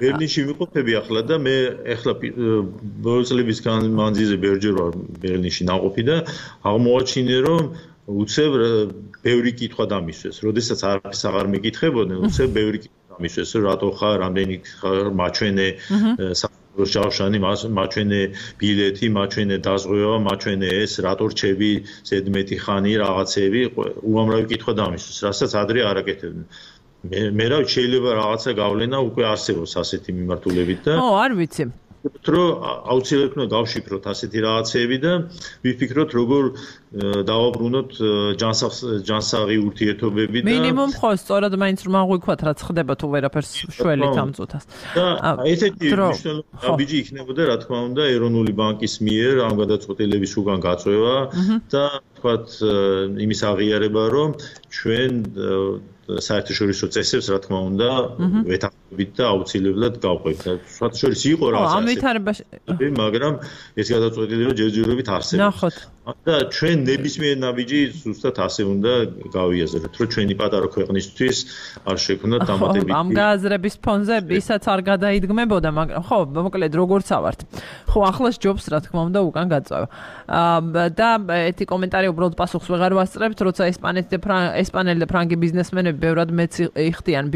ბერლინში ვიყოფები ახლა და მე ახლა ბოლო წლების მანძილზე ბევრჯერ ვარ ბერლინში ნაყოფი და აღმოაჩინე, რომ უცებ ბევრი კითხვა დამისვეს. როდესაც არაფერს აღარ მეკითხებოდნენ, უცებ ბევრი კითხვა დამისვეს, რატო ხარ, რამდენი ხარ მაჩვენე ჯავშანი, მაჩვენე ბილეთი, მაჩვენე დაზღვევა, მაჩვენე ეს, რატო რჩები ზედმეტი ხანი, რაღაცები, უამრავი კითხვა დამისვეს, რასაც ადრე არ აკეთებდნენ. მე რა შეიძლება რაღაცა გავლენა უკვე არსებობს ასეთი მიმართულებით და ო, არ ვიცი. რომ აუცილებლად უნდა გავშიფროთ ასეთი რაღაცეები და ვიფიქროთ როგორ დავაბრუნოთ ჯანსაღი ურთიერთობები და მინიმუმ ხო სწორად მაინც რომ აღვიქვათ რაც ხდება თუ ვერაფერს შველით ამ წუთას. და ესეთი მნიშვნელოვანი აბიჯი იქნებოდა რა თქმა უნდა ეროვნული ბანკის მიერ ამ გადაწყვეტილების უკან გაწვევა და თქვათ იმის აღიარება რომ ჩვენ საერთაშორისო წესებს რა თქმა უნდა ვეთანხმებით და აუცილებლად გავყვებთ. საერთაშორისო იყო რაღაც ამ ვითარებაში მაგრამ ეს გადაწყვეტილება ჯერჯერობით არსებობს. ნახოთ. და ჩვენ ნებისმიერ ნაბიჯი ზუსტად ასე უნდა გავიაზროთ, რომ ჩვენი პატარა ქვეყნისთვის არ შექმნათ დამატებითი. ამ გააზრების ფონზე ისაც არ გადაიდგმებოდა, მაგრამ ხო, მოკლედ როგორ ავართ. ხო, ახლა ჯობს რა თქმა უნდა უკან გაწევა. და ეთი კომენტარი უბრალოდ პასუხს ვეღარ ვასწრებთ, როცა ესპანელი და ფრანგი ბიზნესმენები ბევრად მეც იხდიან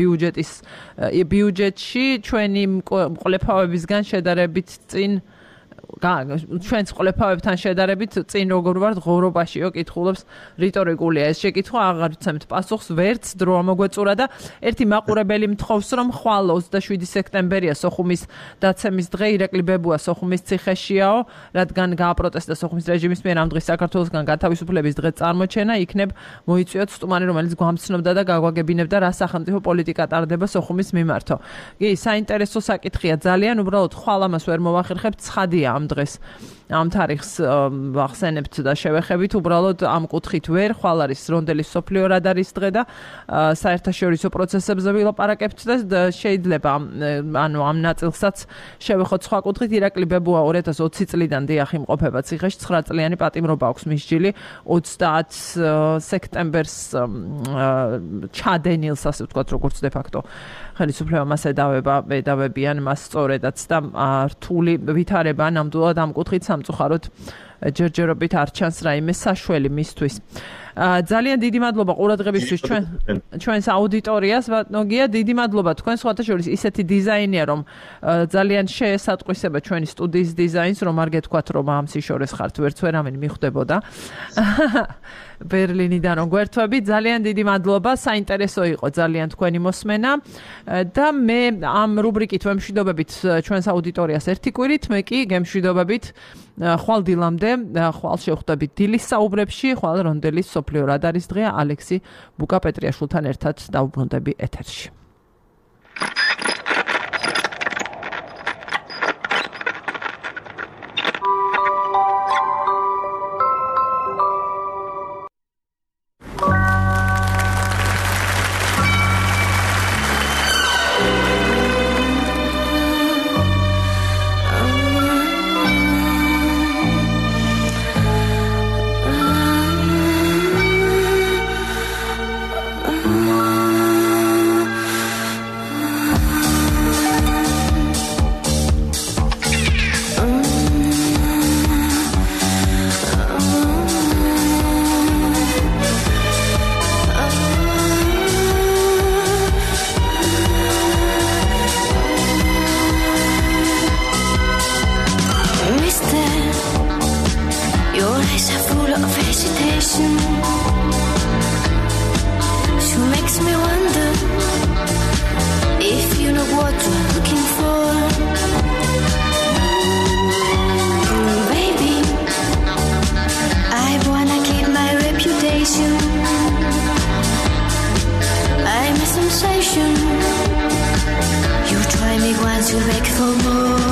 ბიუჯეტში ჩვენი მკვლელობებისგან შედარებით წინ ჩვენს ყოლეფავებთან შედარებით წინ როგორ ვართ ღორობაშიო კითხულობს რიტორიკულია ეს შეკითხვა აღარ ვცემთ პასუხს ვერც დრო ამოგვეწურა და ერთი მაყურებელი მთხოვს რომ ხვალ 27 სექტემბერია სოხუმის დაცემის დღე ირაკლი ბებუა სოხუმის ციხეშიაო რადგან გააპროტესტა სოხუმის რეჟიმის მიერ ამ დღეს საქართველოსგან გათავისუფლების დღე წარმოჩენა იქნებ მოიწვიოთ სტუმარი რომელიც გვამცნობდა და გაგვაგებინებდა რა სახელმწიფო პოლიტიკა ტარდება სოხუმის მიმართო კი საინტერესო საკითხია ძალიან უბრალოდ ხვალ ამას ვერ მოვახერხებთ ცხადია ამ დღეს ამ თარიღს ვახსენებთ და შევეხებით უბრალოდ ამ კუთხით ვერ ხვალ არის რონდელის სოფლიო რადარის დღე და საერთაშორისო პროცესებზე ვილაპარაკებთ და შეიძლება ანუ ამ ნაწილსაც შევეხოთ სხვა კუთხით ირაკლი ბებუა 2020 წლიდან დიახ იმყოფება ციხეში 9 წლიანი პატიმრობა აქვს მის ჯილი 30 სექტემბერს ჩადენილს ასე ვთქვათ როგორც de facto ხელისუფლება მას ედავებიან მას სწორედაც და რთული ვითარება ნამდვილად ამ კუთხით სამწუხაროდ ჯერჯერობით არ ჩანს რაიმე საშველი მისთვის. ძალიან დიდი მადლობა ყურადღებისთვის ჩვენს აუდიტორიას ბატონოგია დიდი მადლობა თქვენ სხვათა შორის ისეთი დიზაინია რომ ძალიან შეესატყვისება ჩვენი სტუდიის დიზაინს რომ არ გეთქვათ რომ ამ სიშორეს ხართ ვერც ვერავინ მიხვდებოდა ბერლინიდან რომ გვერთვები ძალიან დიდი მადლობა საინტერესო იყო ძალიან თქვენი მოსმენა და მე ამ რუბრიკით ვემშვიდობებით ჩვენს აუდიტორიას ერთი კვირით მე კი გემშვიდობებით ხვალ დილამდე ხვალ შევხვდებით დილის საუბრებში ხვალ რონდელის სოფლიო რადარის დღეა ალექსი ბუკა-პეტრიაშვილთან ერთად დავუბრუნდები ეთერში You try me once, you beg for more.